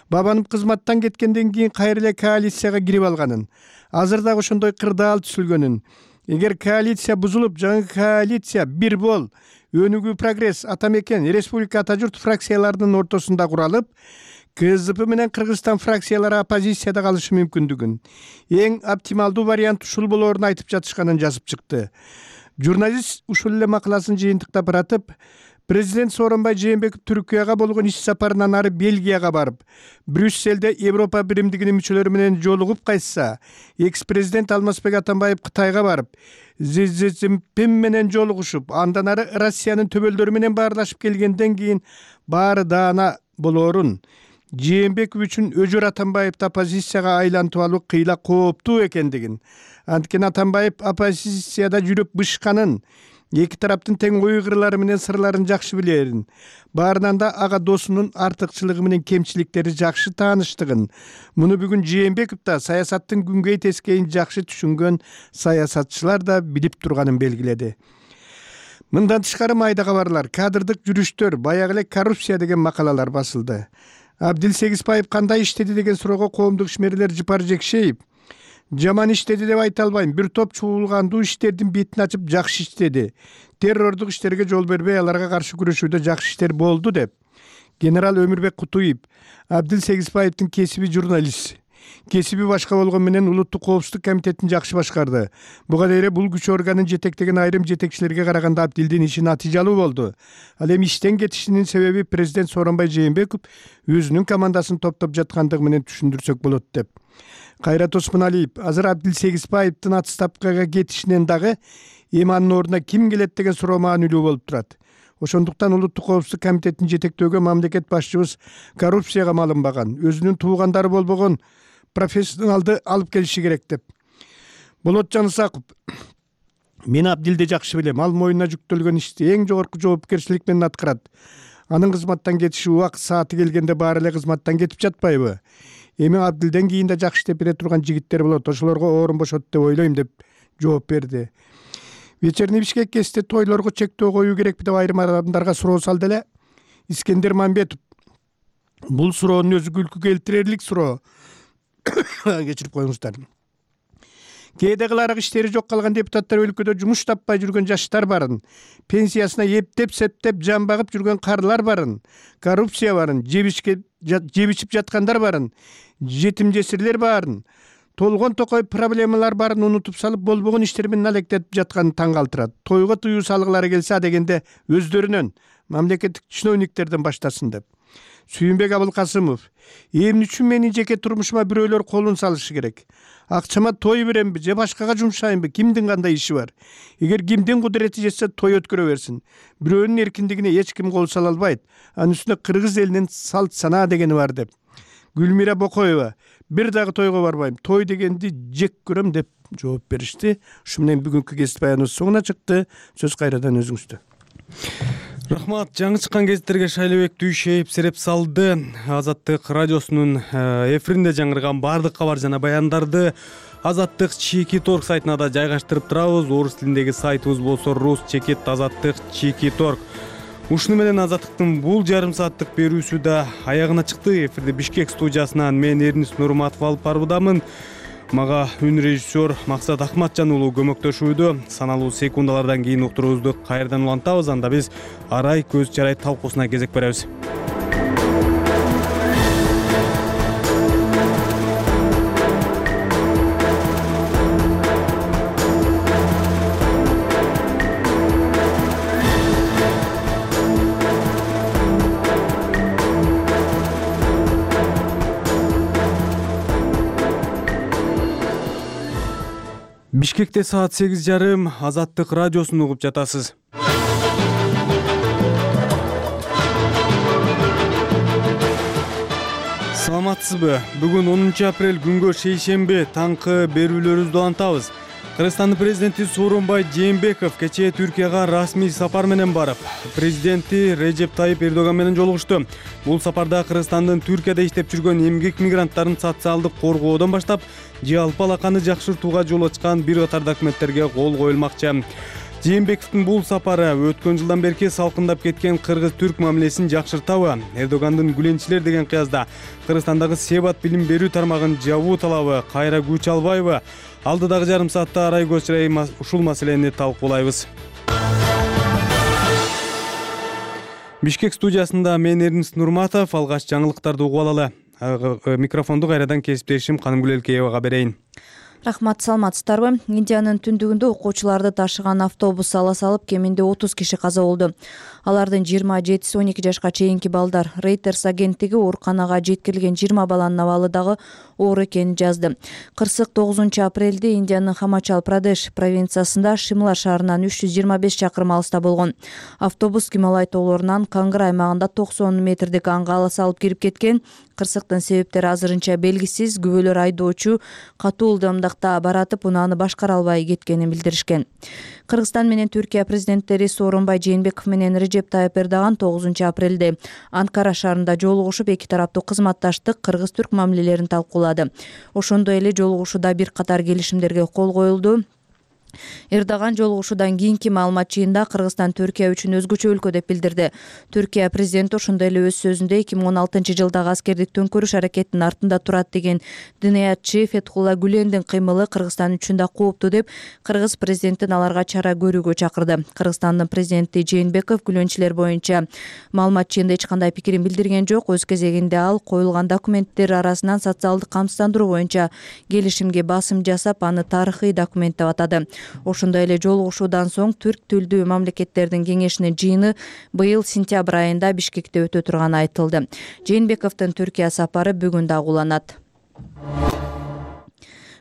Бабанов кызматтан кеткенден кийин кайра эле коалицияга кирип алганын, азыр дагы ошондой кырдаал түзүлгөнүн, эгер коалиция бузулуп, жаңы коалиция Бир Бол, Өнүгүү Прогресс, Атамекен, Республика Ата журт фракцияларынын ортосунда куралып, КСДП менен Кыргызстан фракциялары оппозицияда калышы мүмкүндүгүн, эң оптималдуу вариант ушул болоорун айтып жатышканын жазып чыкты. Журналист ушул эле макаласын жыйынтыктап баратып, президент Сооронбай Жээнбеков Түркияга болгон иш сапарынан ары Бельгияга барып, Брюсселде Европа биримдигинин мүчөлөрү менен жолугуп кайтса, экс-президент Алмазбек Атамбаев Кытайга барып, Си Цзиньпин менен жолугушуп, андан ары Россиянын төбөлдөрү менен баарлашып келгенден кийин баары даана болоорун, Жээнбеков үчүн Өжөр Атамбаевди оппозицияга айлантып алуу кыйла кооптуу экендигин, анткени Атамбаев оппозицияда жүрүп бышканын, эки тараптын тең ой кырлары менен сырларын жакшы билерин, баарынан да ага досунун артыкчылыгы менен кемчиликтери жакшы тааныштыгын, муну бүгүн Жээнбеков да саясаттын күнгөй тескейин жакшы түшүнгөн саясатчылар да билип турганын белгиледи. Мындан тышкары майда кабарлар, кадрдык жүрүштөр, баягы эле коррупция деген макалалар басылды. Абдил Сегизбаев кандай иштеди деген суроого коомдук ишмерлер Жыпар Жекшеев жаман иштеди деп айта албайм. Бир топ чуулгандуу иштердин бетин ачып жакшы иштеди. Террордук иштерге жол бербей, аларга каршы күрөшүүдө жакшы иштер болду деп. Генерал Өмүрбек Кутуев Абдил Сегизбаевдин кесиби журналист. Кесиби башка болгон менен Улуттук коопсуздук комитетин жакшы башкарды. Буга дейре бул күч органын жетектеген айрым жетекчилерге караганда Абдилдин иши натыйжалуу болду. Ал эми иштен кетишинин себеби президент Сооронбай Жээнбеков өзүнүн командасын топтоп жаткандыгы менен түшүндүрсөк болот деп. Кайрат Осмоналиев азыр Абдил Сегизбаевдин отставкага кетишинен дагы эми анын ордуна ким келет деген суроо маанилүү болуп турат. Ошондуктан Улуттук коопсуздук комитетин жетектөөгө мамлекет башчыбыз коррупцияга малынбаган, өзүнүн туугандары болбогон профессионалды алып келиши керек деп. Болот Жанысаков мен Абдилди жакшы билем. Ал моюнуна жүктөлгөн ишти эң жогорку жоопкерчилик менен аткарат. Анын кызматтан кетиши убакыт сааты келгенде баары эле кызматтан кетип жатпайбы? Эми Абдилден кийин да жакшы иштеп бере турган жигиттер болот. Ошолорго орун бошот деп ойлойм деп жооп берди. Вечерний Бишкек гезити тойлорго чектөө коюу керекпи деп айрым адамдарга суроо салды эле. Искендер Мамбетов бул суроонун өзү күлкү келтирерлик суроо. Кечирип коюңуздар. Кээде кыларак иштери жок калган депутаттар өлкөдө жумуш таппай жүргөн жаштар барын, пенсиясына эптеп септеп жан багып жүргөн карлар барын, коррупция барын, жебичип жаткандар барын, жетим жесирлер барын, толгон токой проблемалар барын унутуп салып болбогон иштер менен алектетип жатканын таң калтырат. Тойго тыюу салгылары келсе дегенде өздөрүнөн мамлекеттик чиновниктерден баштасын деп. Сүйүнбек Абылкасымов эмне үчүн менин жеке турмушума бирөөлөр колун салышы керек? Акчама той беремби же башкага жумшайынбы? Кимдин кандай иши бар? Эгер кимдин кудурети жетсе той өткөрө берсин. Бирөөнүн эркиндигине эч ким кол сала албайт. Анын үстүнө кыргыз элинин салт санаа дегени бар деп. Гүлмира Бокоева бир дагы тойго барбайм. Той дегенди жек көрөм деп жооп беришти. Ушу менен бүгүнкү гезит баяныбыз соңуна чыкты. Сөз кайрадан өзүңүздө. Рахмат. Жаңы чыккан гезиттерге Шайлообек Дүйшеев сереп салды. Азаттык радиосунун эфиринде жаңырган баардык кабар жана баяндарды Азаттык чеки торг сайтына да жайгаштырып турабыз. Орус тилиндеги сайтыбыз болсо рус чекит азаттык чеки торг. Ушуну менен Азаттыктын бул жарым сааттык берүүсү да аягына чыкты. Эфирди Бишкек студиясынан мен Эрнис Нурматов алып баруудамын. Мага үн режиссер Максат Акматжан уулу көмөктөшүүдө. Саналуу секундалардан кийин уктуруубузду кайрадан улантабыз. Анда биз арай көз чарай талкуусуна кезек беребиз. Бишкекте саат сегиз жарым, Азаттык радиосун угуп жатасыз. Саламатсызбы? Бүгүн онунчу апрель күнгө шейшемби таңкы берүүлөрүбүздү улантабыз. Кыргызстандын президенти Сооронбай Жээнбеков кечээ Түркияга расмий сапар менен барып, президенти Режеп Тайып Эрдоган менен жолугушту. Бул сапарда Кыргызстандын Түркияда иштеп жүргөн эмгек мигранттарын социалдык коргоодон баштап, жалпы алаканы жакшыртууга жол ачкан бир катар документтерге кол коюлмакчы. Жээнбековдун бул сапары өткөн жылдан берки салкындап кеткен кыргыз-түрк мамилесин жакшыртабы? Эрдогандын гүленчилер деген кыязда Кыргызстандагы себат билим берүү тармагын жабуу талабы кайра күч албайбы? Алдыдагы жарым саатта арай көз чарай ушул маселени талкуулайбыз. Бишкек студиясында мен Эрнис Нурматов, алгач жаңылыктарды угуп алалы. Микрофонду кайрадан кесиптешим Канымгүл Элкеевага берейин. Рахмат, саламатсыздарбы? Индиянын түндүгүндө окуучуларды ташыган автобус ала салып, кеминде отуз киши каза болду. Алардын жыйырма жетиси он эки жашка чейинки балдар. Reuters агенттиги ооруканага жеткирилген жыйырма баланын абалы дагы оор экенин жазды. Кырсык тогузунчу апрелде Индиянын Хамачал Прадеш провинциясында Шимла шаарынан үч жүз жыйырма беш чакырым алыста болгон. Автобус Гималай тоолорунан Кангыр аймагында токсон метрдик анга ала салып кирип кеткен. Кырсыктын себептери азырынча белгисиз. Күбөлөр айдоочу катуу ылдамдыкта баратып, унааны башкара албай кеткенин билдиришкен. Кыргызстан менен Түркия президенттери Сооронбай Жээнбеков менен Режеп Тайып Эрдоган тогузунчу апрелде Анкара шаарында жолугушуп, эки тараптуу кызматташтык, кыргыз-түрк мамилелерин талкуулады. Ошондой эле жолугушууда бир катар келишимдерге кол коюлду. Эрдоган жолугушуудан кийинки маалымат жыйында Кыргызстан Түркия үчүн өзгөчө өлкө деп билдирди. Түркия президенти ошондой эле өз сөзүндө эки миң он алтынчы жылдагы аскердик төңкөрүш аракетинин артында турат деген дыниятчы Фетхулла Гүлендин кыймылы Кыргызстан үчүн да кооптуу деп, кыргыз президентин аларга чара көрүүгө чакырды. Кыргызстандын президенти Жээнбеков гүлөнчүлөр боюнча маалымат жыйында эч кандай пикирин билдирген жок. Өз кезегинде ал коюлган документтер арасынан социалдык камсыздандыруу боюнча келишимге басым жасап, аны тарыхый документ деп атады. Ошондой эле жолугушуудан соң түрк тилдүү мамлекеттердин кеңешинин жыйыны быйыл сентябрь айында Бишкекте өтө турганы айтылды. Жээнбековдун Түркия сапары бүгүн дагы уланат.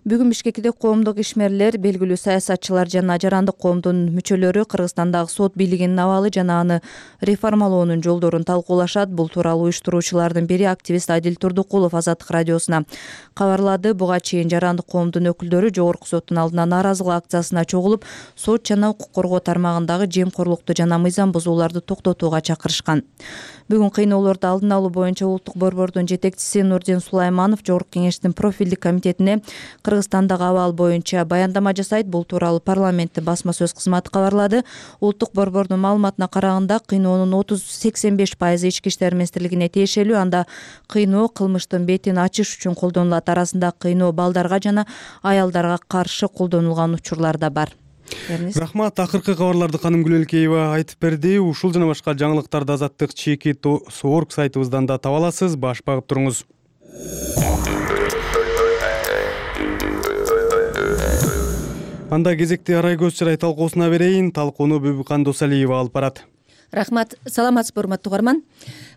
Бүгүн Бишкекте коомдук ишмерлер, белгилүү саясатчылар жана жарандык коомдун мүчөлөрү Кыргызстандагы сот бийлигинин абалы жана аны реформалоонун жолдорун талкуулашат. Бул тууралуу уюштуруучулардын бири активист Адил Турдукулов Азаттык радиосуна кабарлады. Буга чейин жарандык коомдун өкүлдөрү жогорку соттун алдына нааразылык акциясына чогулуп, сот жана укук коргоо тармагындагы жемкорлукту жана мыйзам бузууларды токтотууга чакырышкан. Бүгүн кыйноолорду алдын алуу боюнча улуттук борбордун жетекчиси Нурдин Сулайманов Жогорку кеңештин профилдик комитетине Кыргызстандагы абал боюнча баяндама жасайт. Бул тууралуу парламенттин басма сөз кызматы кабарлады. Улуттук борбордун маалыматына караганда, кыйноонун отуз сексен беш пайызы ички иштер министрлигине тиешелүү. Анда кыйноо кылмыштын бетин ачыш үчүн колдонулат. Арасында кыйноо балдарга жана аялдарга каршы колдонулган учурлар да бар. Рахмат, акыркы кабарларды Канымгүл Элкеева айтып берди. Ушул жана башка жаңылыктарды Азаттык чеки Соорг сайтыбыздан да таба аласыз. Баш багып туруңуз. Анда кезекти арай көз чарай талкуусуна берейин. Талкууну Бүбүкан Досалиева алып барат. Рахмат, саламатсызбы урматтуу угарман.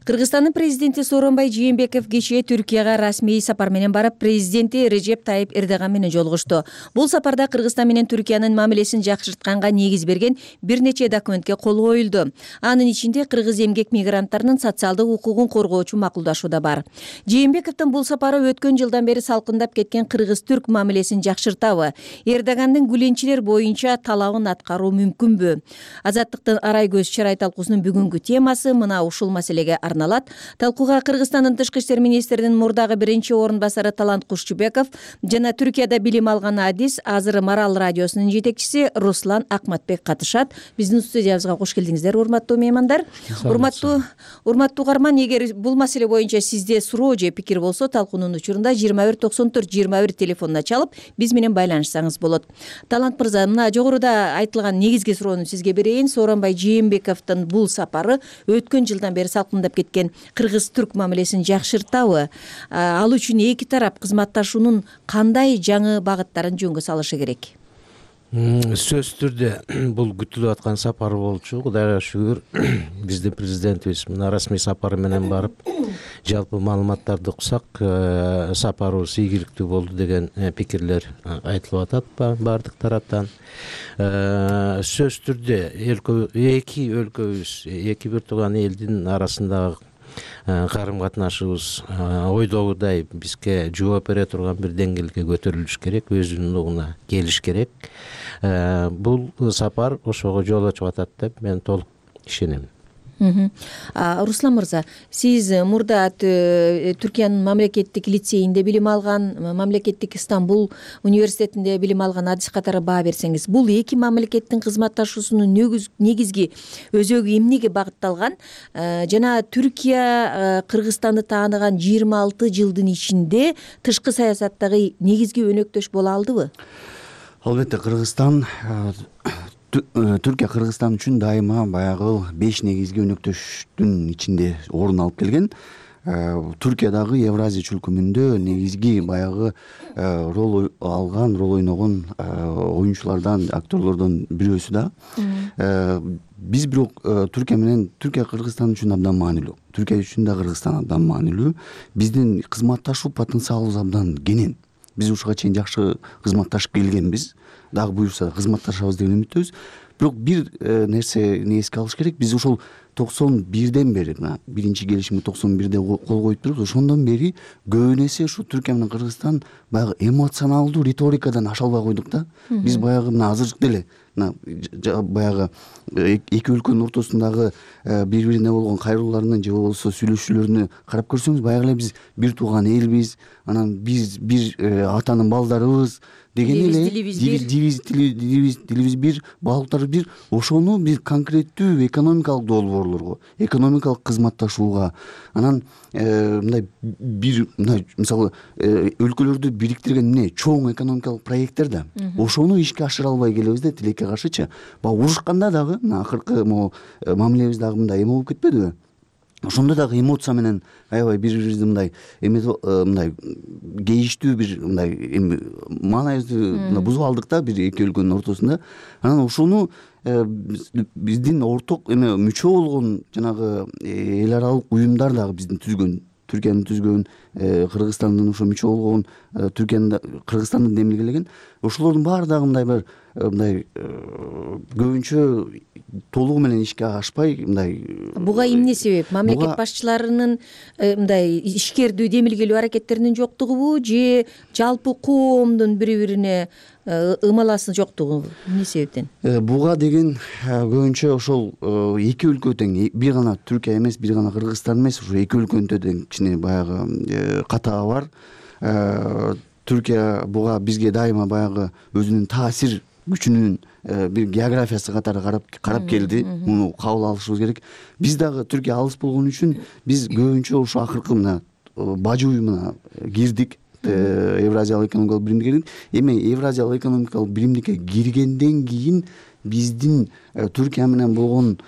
Кыргызстандын президенти Сооронбай Жээнбеков кечээ Түркияга расмий сапар менен барып, президенти Режеп Тайып Эрдоган менен жолугушту. Бул сапарда Кыргызстан менен Түркиянын мамилесин жакшыртканга негиз берген бир нече документке кол коюлду. Анын ичинде кыргыз эмгек мигранттарынын социалдык укугун коргоочу макулдашуу да бар. Жээнбековдун бул сапары өткөн жылдан бери салкындап кеткен кыргыз-түрк мамилесин жакшыртабы? Эрдогандын гүленчилер боюнча талабын аткаруу мүмкүнбү? Азаттыктын арай көз чарай талкуусунун бүгүнкү темасы мына ушул маселеге арналат. Талкууга Кыргызстандын тышкы иштер министринин мурдагы биринчи орун басары Талант Кушчубеков жана Түркияда билим алган адис, азыр Марал радиосунун жетекчиси Руслан Акматбек катышат. Биздин студиябызга кош келдиңиздер, урматтуу меймандар. Урматтуу урматтуу угарман, эгер бул маселе боюнча сизде суроо же пикир болсо, талкуунун учурунда жыйырма бир токсон төрт жыйырма бир телефонуна чалып, биз менен байланышсаңыз болот. Талант мырза, мына жогоруда айтылган негизги суроону сизге берейин. Сооронбай Жээнбековдун бул сапары өткөн жылдан бери салкындап кеткен кыргыз-түрк мамилесин жакшыртабы? Ал үчүн эки тарап кызматташуунун кандай жаңы багыттарын жөнгө салышы керек? Сөзсүз түрдө бул күтүлүп аткан сапар болчу. Кудайга шүгүр, биздин президентибиз мына расмий сапары менен барып, жалпы маалыматтарды уксак, сапарыбыз ийгиликтүү болду деген пикирлер айтылып атат баардык тараптан. Сөзсүз түрдө эки өлкөбүз, эки бир тууган элдин арасындагы карым катнашыбыз ойдогудай бизге жооп бере турган бир деңгээлге көтөрүлүш керек, өзүнүн келиш керек. Бул сапар ошого жол ачып атат деп мен толук ишенем. Руслан мырза, сиз мурда Түркиянын мамлекеттик лицейинде билим алган, мамлекеттик Стамбул университетинде билим алган адис катары баа берсеңиз, бул эки мамлекеттин кызматташуусунун негизги өзөгү эмнеге багытталган жана Түркия Кыргызстанды тааныган жыйырма алты жылдын ичинде тышкы саясаттагы негизги өнөктөш боло алдыбы? Албетте, Кыргызстан Түркия Кыргызстан үчүн дайыма баягы беш негизги өнөктөштүн ичинде орун алып келген. Түркиядагы Евразия чөлкөмүндө негизги баягы рол алган, рол ойногон оюнчулардан, актерлордон бирөөсү да. Биз бирок Түркия менен Түркия Кыргызстан үчүн абдан маанилүү. Түркия үчүн да Кыргызстан абдан маанилүү. Биздин кызматташуу потенциалыбыз абдан кенен. Биз ушуга чейин жакшы кызматташып келгенбиз. Дагы буюрса кызматташабыз деген үмүттөбүз. Бирок бир нерсени эске алыш керек. Биз ошол токсон бирден бери, биринчи келишимге токсон бирде кол коюп туруп, ошондон бери көбүн эсе ушу Түркия менен Кыргызстан баягы эмоционалдуу риторикадан аша албай койдук да. Биз баягы мына азыр деле баягы эки өлкөнүн ортосундагы бири-бирине болгон кайрылууларынын же болбосо сүйлөшүүлөрүнү карап көрсөңүз, баягы эле биз бир тууган элбиз, анан биз бир атанын балдарыбыз деген эле, дилибиз дилибиз бир, баалууларыбыз бир, ошону бир конкреттүү экономикалык долбоорлорго, экономикалык кызматташууга, анан мындай бир мындай мисалы өлкөлөрдү бириктирген эмне чоң экономикалык проекттер да, ошону ишке ашыра албай келебиз да, тилекке каршычы. Баягы урушканда дагы мына акыркы могу мамилебиз дагы мындай эме болуп кетпедиби? Ошондо дагы эмоция менен аябай бири-бирибизди мындай эме мындай кейиштүү бир мындай эми маанайыбызды бузуп алдык да бир эки өлкөнүн ортосунда. Анан ошону биздин орток эме мүчө болгон жанагы эл аралык уюмдар дагы биздин түзгөн, Түркиянын түзгөн, Кыргызстандын ошо мүчө болгон, Түркиянын Кыргызстандын демилгелеген, ошолордун баары дагы мындай бир мындай көбүнчө толугу менен ишке ашпай мындай. Буга эмне себеп? Мамлекет башчыларынын мындай ишкердүү демилгелүү аракеттеринин жоктугубу же жалпы коомдун бири-бирине ымаласы жоктугу? Эмне себептен? Буга деген көбүнчө ошол эки өлкө тең, бир гана Түркия эмес, бир гана Кыргызстан эмес, ошо эки өлкөнүн тең кичине баягы катагы бар. Түркия буга бизге дайыма баягы өзүнүн таасир күчүнүн бир географиясы катары карап карап келди. Муну кабыл алышыбыз керек. Биз дагы Түркия алыс болгон үчүн биз көбүнчө ошо акыркы мына бажы уюмуна кирдик. Евразиялык экономикалык биримдикке кирдик. Эми Евразиялык экономикалык биримдикке киргенден кийин биздин Түркия менен болгон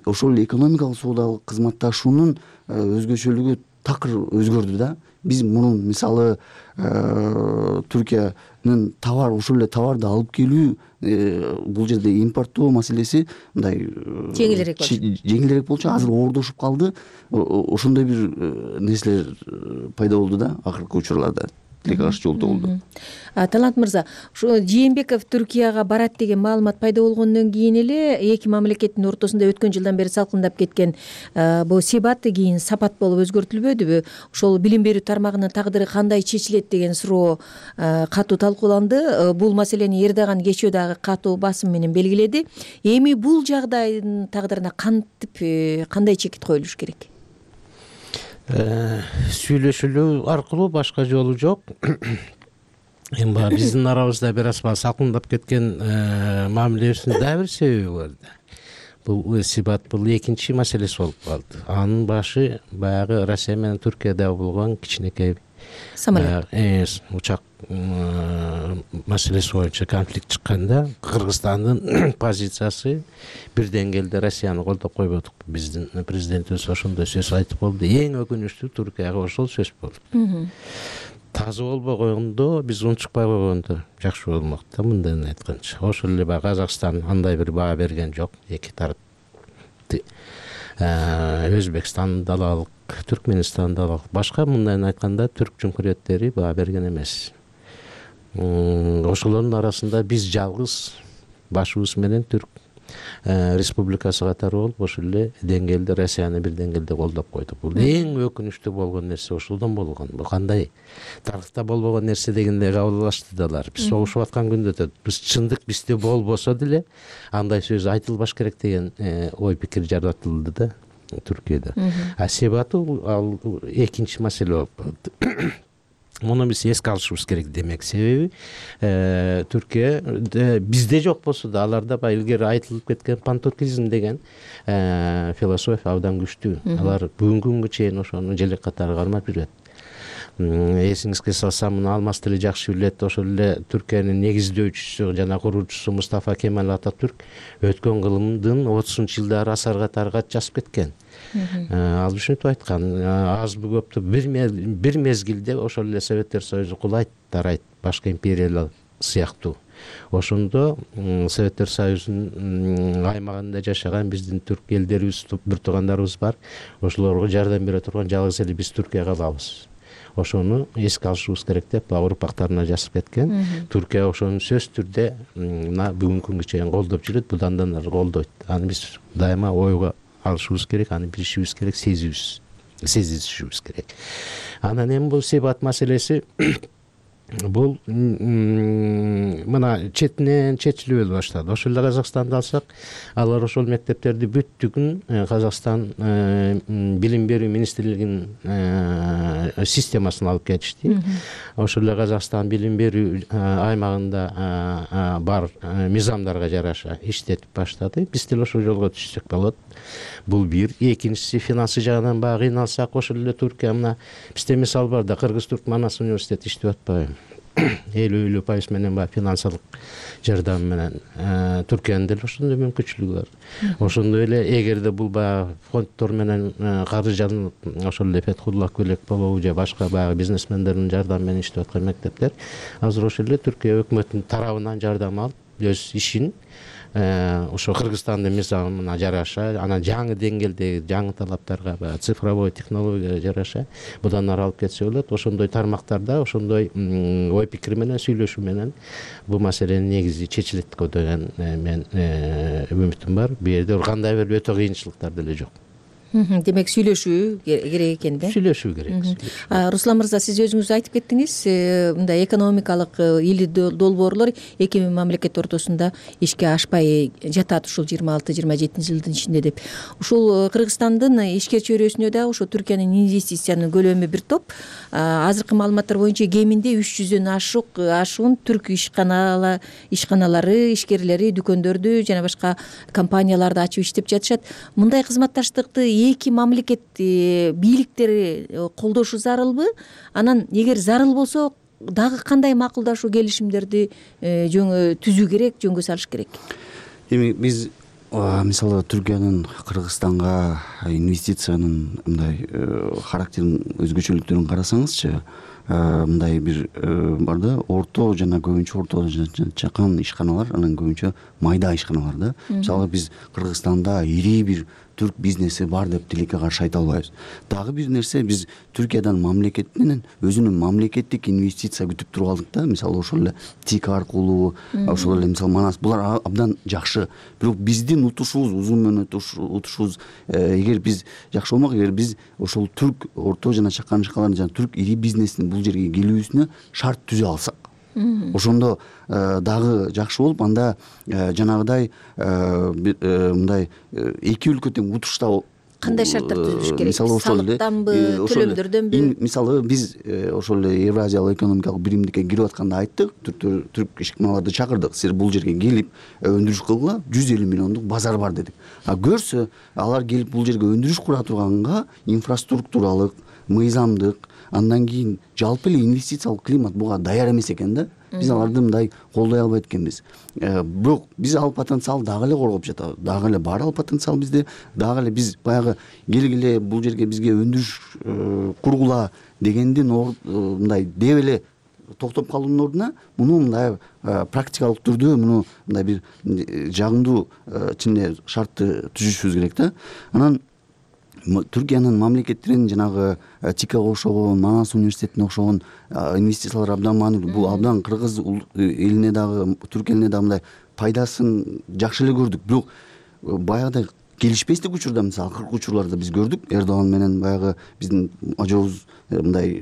ошол экономикалык соодалык кызматташуунун өзгөчөлүгү такыр өзгөрдү да. Биз мунун мисалы Түркиянын товар, ошол эле товарды алып келүү, бул жерде импорттоо маселеси мындай жеңилирээк болчу. Жеңилирээк болчу, азыр оордошуп калды. Ошондой бир нерселер пайда болду да акыркы учурларда. Тилекке каршы жолдо болду. Талант мырза, ушу Жээнбеков Түркияга барат деген маалымат пайда болгондон кийин эле эки мамлекеттин ортосунда өткөн жылдан бери салкындап кеткен бул себаты кийин сапат болуп өзгөртүлбөдүбү? Ошол билим берүү тармагынын тагдыры кандай чечилет деген суроо катуу талкууланды. Бул маселени Эрдоган кечөө дагы катуу басым менен белгиледи. Эми бул жагдайдын тагдырына кантип кандай чекит коюлуш керек? сүйлөшүүлүү аркылуу башка жолу жок. Эми баягы биздин арабызда бир аз салкындап кеткен мамилебиздин дагы бир себеби бар да. Бул сибат бул экинчи маселеси болуп калды. Анын башы баягы Россия менен Түркияда болгон кичинекей самолет учак маселеси боюнча конфликт чыкканда Кыргызстандын позициясы бир деңгээлде Россияны колдоп койбодук. Биздин президентибиз ошондой сөз айтып болду. Эң өкүнүчтүү Түркияга ошол сөз болду. Таза болбой койгондо, биз унчукпай койгондо жакшы болмок да, мындан айтканча. Ошол эле баягы Казакстан андай бир баа берген жок. Эки тарап Өзбекстан да алалык, Түркмөнстан да алалык. Башка мындан айтканда түрк жумхуриеттери баа берген эмес. Ошолордун арасында биз жалгыз башыбыз менен түрк республикасы катары болуп ошол эле деңгээлде Россияны бир деңгээлде колдоп койдук. Бул эң өкүнүчтүү болгон нерсе ошолдон болгон. Бул кандай тарыхта болбогон нерсе дегенде кабыл алышты далар. Биз согушуп аткан күндө биз чындык бизде болбосо деле андай сөз айтылбаш керек деген ой пикир жаратылды да Түркияда. А себеби ал экинчи маселе болуп калды. Муну биз эске алышыбыз керек демек. Себеби Түркия бизде жок болсо да аларда баягы илгери айтылып кеткен пантуркизм деген философия абдан күчтүү. Алар бүгүнкү күнгө чейин ошону желек катары кармап жүрөт. Эсиңизге салсам, муну Алмаз тили жакшы билет. Ошол эле Түркиянын негиздөөчүсү жана куруучусу Мустафа Кемал Ататүрк өткөн кылымдын отузунчу жылдары асар катары кат жазып кеткен. Ал ушинтип айткан, азбы көптү бир мезгилде ошол эле Советтер Союзу кулайт, тарайт, башка империялар сыяктуу. Ошондо Советтер Союзунун аймагында жашаган биздин түрк элдерибиз, бир туугандарыбыз бар. Ошолорго жардам бере турган жалгыз эле биз Түркия калабыз. Ошону эске алышыбыз керек деп урпактарына жазып кеткен. Түркия ошону сөзсүз түрдө мына бүгүнкү күнгө чейин колдоп жүрөт, будандан ары колдойт. Аны биз дайыма ойго алышыбыз керек, аны билишибиз керек, сезибиз, сезишибиз керек. Анан эми бул сибат маселеси бул мына четинен чечилип эле баштады. Ошол эле Казакстанды алсак, алар ошол мектептерди бүттүгүн Казакстан билим берүү министрлигинин системасына алып кетишти. Ошол эле Казакстан билим берүү аймагында бар мыйзамдарга жараша иштетип баштады. Биз деле ошол жолго түшсөк болот. Бул бир. Экинчиси, финансы жагынан баягы кыйналсак, ошол эле Түркия мына бизде мисал бар да, Кыргыз-Түрк Манас университети иштеп атпайбы? элүү элүү пайыз менен баягы финансылык жардам менен Түркиянын деле ошондой мүмкүнчүлүгү бар. Ошондой эле эгерде бул баягы фонддор менен каржыланып, ошол эле Фетхуллах Гүлек болобу же башка баягы бизнесмендердин жардамы менен иштеп аткан мектептер азыр ошол эле Түркия өкмөтүнүн тарабынан жардам алып, өз ишин ошо Кыргызстандын мыйзамына жараша, анан жаңы деңгээлдеги жаңы талаптарга, баягы цифровой технологияга жараша будан ары алып кетсе болот. Ошондой тармактарда, ошондой ой пикир менен, сүйлөшүү менен бул маселенин негизи чечилет деген мен үмүтүм бар. Бу жерде кандай бир өтө кыйынчылыктар деле жок. Демек сүйлөшүү керек экен да. Сүйлөшүү керек. Руслан мырза, сиз өзүңүз айтып кеттиңиз, мындай экономикалык или долбоорлор эки мамлекет ортосунда ишке ашпай жатат ушул жыйырма алты жыйырма жетинчи жылдын ичинде деп. Ушул Кыргызстандын ишкер чөйрөсүнө да ошо Түркиянын инвестициянын көлөмү бир топ. Азыркы маалыматтар боюнча кеминде үч жүздөн ашык ашуун түрк ишканалары, ишканалары, ишкерлери дүкөндөрдү жана башка компанияларды ачып иштеп жатышат. Мындай кызматташтыкты эки мамлекет бийликтери колдошу зарылбы? Анан эгер зарыл болсо, дагы кандай макулдашуу келишимдерди жөнгө түзүү керек, жөнгө салыш керек? Эми биз мисалы Түркиянын Кыргызстанга инвестициянын мындай характерин, өзгөчөлүктөрүн карасаңызчы, мындай бир бар да, орто жана көбүнчө орто жана чакан ишканалар, анан көбүнчө майда ишканалар да. Мисалы биз Кыргызстанда ири бир түрк бизнеси бар деп тилекке каршы айта албайбыз. Дагы бир нерсе, биз Түркиядан мамлекеттен өзүнүн мамлекеттик инвестиция күтүп туруп алдык да. Мисалы ошол эле ТИК аркылуу, ошол эле мисалы Манас, булар абдан жакшы. Бирок биздин утушубуз, узун мөөнөт утушубуз, эгер биз жакшы болмок, эгер биз ошол түрк орто жана чакан ишканаларын жана түрк ири бизнесин бул жерге келүүсүнө шарт түзө алсак, ошондо дагы жакшы болуп, анда жанагыдай мындай эки өлкө тең утушта кандай шарттар түзүлүш керек? Мисалы ошол эле салыктанбы, төлөмдөрдөнбү? Мисалы биз ошол эле Евразиялык экономикалык биримдикке кирип атканда айттык, түрк ишканаларды чакырдык, силер бул жерге келип өндүрүш кылгыла, жүз элүү миллиондук базар бар дедик. А көрсө алар келип бул жерге өндүрүш кура турганга инфраструктуралык, мыйзамдык, андан кийин жалпы эле инвестициялык климат буга даяр эмес экен да. Биз аларды мындай колдой албайт экенбиз. Бирок биз ал потенциалды дагы эле коргоп жатабыз. Дагы эле бар ал потенциал бизде. Дагы эле биз баягы келгиле бул жерге бизге өндүрүш кургула дегендин мындай деп эле токтоп калуунун ордуна муну мындай практикалык түрдө муну мындай бир жагымдуу чынында шартты түзүшүбүз керек да. Анан Түркиянын мамлекеттерин жанагы ТИКага окшогон, Манас университетине окшогон инвестициялар абдан маанилүү. Бул абдан кыргыз элине дагы, түрк элине дагы мындай пайдасын жакшы эле көрдүк. Бирок баягыдай келишпестик учурда, мисалы акыркы учурларда биз көрдүк, Эрдоган менен баягы биздин ажообуз мындай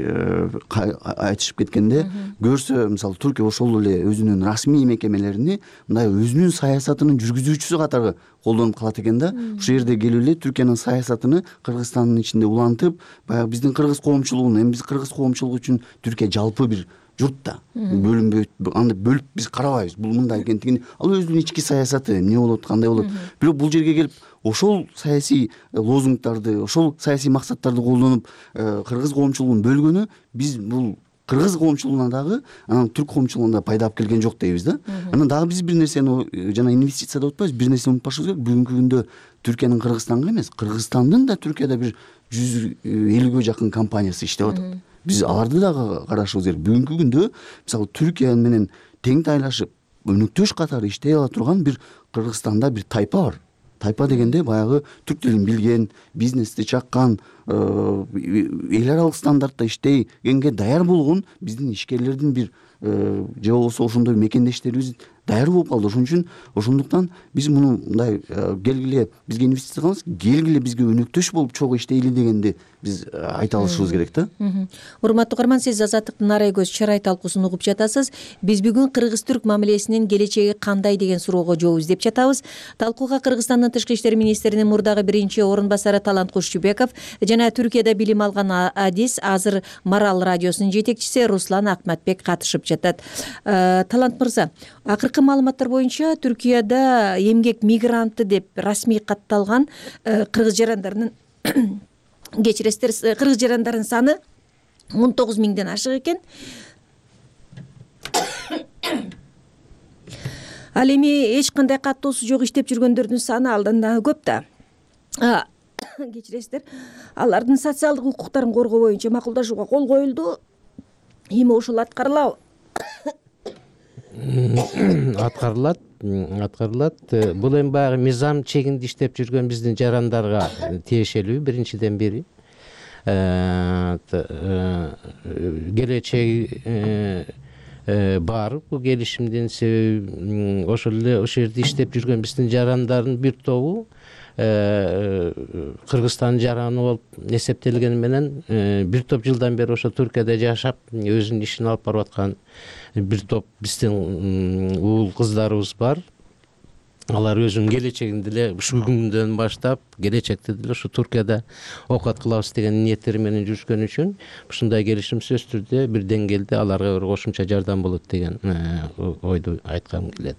айтышып кеткенде көрсө, мисалы Түркия ошол эле өзүнүн расмий мекемелерини мындай өзүнүн саясатынын жүргүзүүчүсү катары колдонуп калат экен да. Ушул жерде келип эле Түркиянын саясатыны Кыргызстандын ичинде улантып, баягы биздин кыргыз коомчулугун, эми биз кыргыз коомчулугу үчүн Түркия жалпы бир журт да. Бөлүнбөйт, анда бөлүп биз карабайбыз. Бул мындай экендигин, ал өзүнүн ички саясаты, эмне болот, кандай болот. Бирок бул жерге келип ошол саясий лозунгдарды, ошол саясий максаттарды колдонуп кыргыз коомчулугун бөлгөнү биз бул кыргыз коомчулугуна дагы, анан түрк коомчулугуна пайда алып келген жок дейбиз да. Анан дагы биз бир нерсени жана инвестиция деп атпайбыз, бир нерсени унутпашыбыз керек. Бүгүнкү күндө Түркиянын Кыргызстанга эмес, Кыргызстандын да Түркияда бир жүз элүүгө жакын компаниясы иштеп атат. Биз аларды дагы карашыбыз керек. Бүгүнкү күндө мисалы Түркия менен тең тайлашып, өнөктөш катары иштей ала турган бир Кыргызстанда бир тайпа бар. Тайпа дегенде баягы түрк тилин билген, бизнести чаккан, эл аралык стандартта иштегенге даяр болгон биздин ишкерлердин бир же болбосо ошондой мекендештерибиз даяр болуп калды. Ошон үчүн ошондуктан биз муну мындай келгиле бизге инвестиция кылыңыз, келгиле бизге өнөктөш болуп чогуу иштейли дегенди биз айта алышыбыз керек да. Урматтуу угарман, сиз Азаттыктын Нарай көз чырай талкуусун угуп жатасыз. Биз бүгүн кыргыз-түрк мамилесинин келечеги кандай деген суроого жооп издеп жатабыз. Талкууга Кыргызстандын тышкы иштер министринин мурдагы биринчи орун басары Талант Кушчубеков жана Түркияда билим алган адис, азыр Марал радиосунун жетекчиси Руслан Акматбек катышып жатат. Талант мырза, акыркы маалыматтар боюнча Түркияда эмгек мигранты деп расмий катталган кыргыз жарандарынын кечиресиздер, кыргыз жарандардын саны он тогуз миңден ашык экен. Ал эми эч кандай каттоосу жок иштеп жүргөндөрдүн саны алдан да көп да. Кечиресиздер, алардын социалдык укуктарын коргоо боюнча макулдашууга кол коюлду. Эми ушул аткарылабы? Аткарылат, аткарылат. Бул эми баягы мыйзам чегинде иштеп жүргөн биздин жарандарга тиешелүү биринчиден бери. Келечеги бар бул келишимдин себеби ошол эле ошол жерде иштеп жүргөн биздин жарандардын бир тобу Кыргызстандын жараны болуп эсептелгени менен бир топ жылдан бери ошо Түркияда жашап өзүнүн ишин алып барып аткан бир топ биздин уул кыздарыбыз бар. Алар өзүнүн келечегин деле ушул күндөн баштап келечекте деле ушу Түркияда окуат кылабыз деген ниеттери менен жүрүшкөн үчүн ушундай келишим сөзсүз түрдө бир деңгээлде аларга бир кошумча жардам болот деген ойду айткым келет.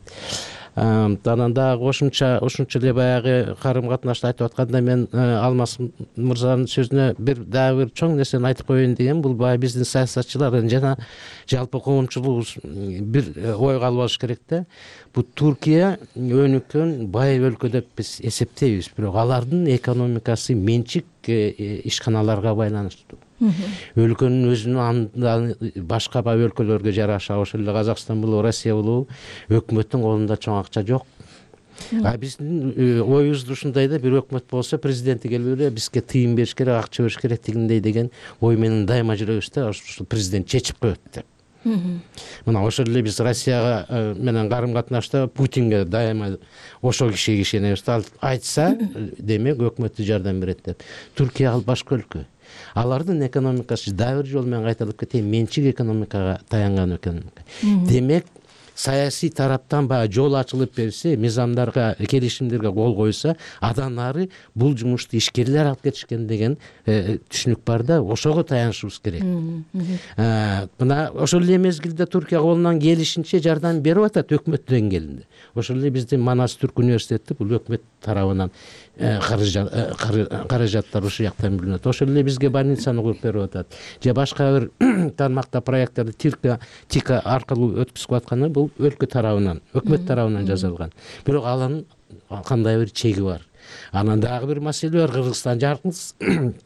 Анан дагы кошумча ушунча эле баягы карым катнашты айтып атканда мен Алмаз мырзанын сөзүнө бир дагы бир чоң нерсени айтып коеюн дегем. Бул баягы биздин саясатчылардын жана жалпы коомчулугубуз бир ойго алып алыш керек да. Бул Түркия өнүккөн бай өлкө деп биз эсептейбиз, бирок алардын экономикасы менчик ишканаларга байланыштуу. Өлкөнүн өзүнүн башка бай өлкөлөргө жараша, ошол эле Казакстан болобу, Россия болобу, өкмөттүн колунда чоң акча жок. А биздин оюбузда ушундай да, бир өкмөт болсо президенти келип эле бизге тыйын бериш керек, акча бериш керек дегендей деген ой менен дайыма жүрөбүз да, ушул президент чечип коет деп. Мына ошол эле биз Россияга менен карым катнашта Путинге дайыма ошол кишиге ишенебиз да, айтса демек өкмөттү жардам берет деп. Түркия ал башка өлкө. Алардын экономикасы дагы бир жол менен кайталып кетейин, менчик экономикага таянган экономика. Демек саясий тараптан баягы жол ачылып берсе, мыйзамдарга, келишимдерге кол койсо, андан ары бул жумушту ишкерлер алып кетишкен деген түшүнүк бар да, ошого таянышыбыз керек. Мына ошол эле мезгилде Түркия колунан келишинче жардам берип атат өкмөт деңгээлинде. Ошол эле биздин Манас Түрк университети бул өкмөт тарабынан каражаттар ушул жактан бөлүнөт. Ошол эле бизге больницаны куруп берип атат. Же башка бир тармакта проекттарды Тика Тика аркылуу өткүзүп атканы бул өлкө тарабынан, өкмөт тарабынан жасалган. Бирок анын кандай бир чеги бар. Анан дагы бир маселе бар. Кыргызстан жалгыз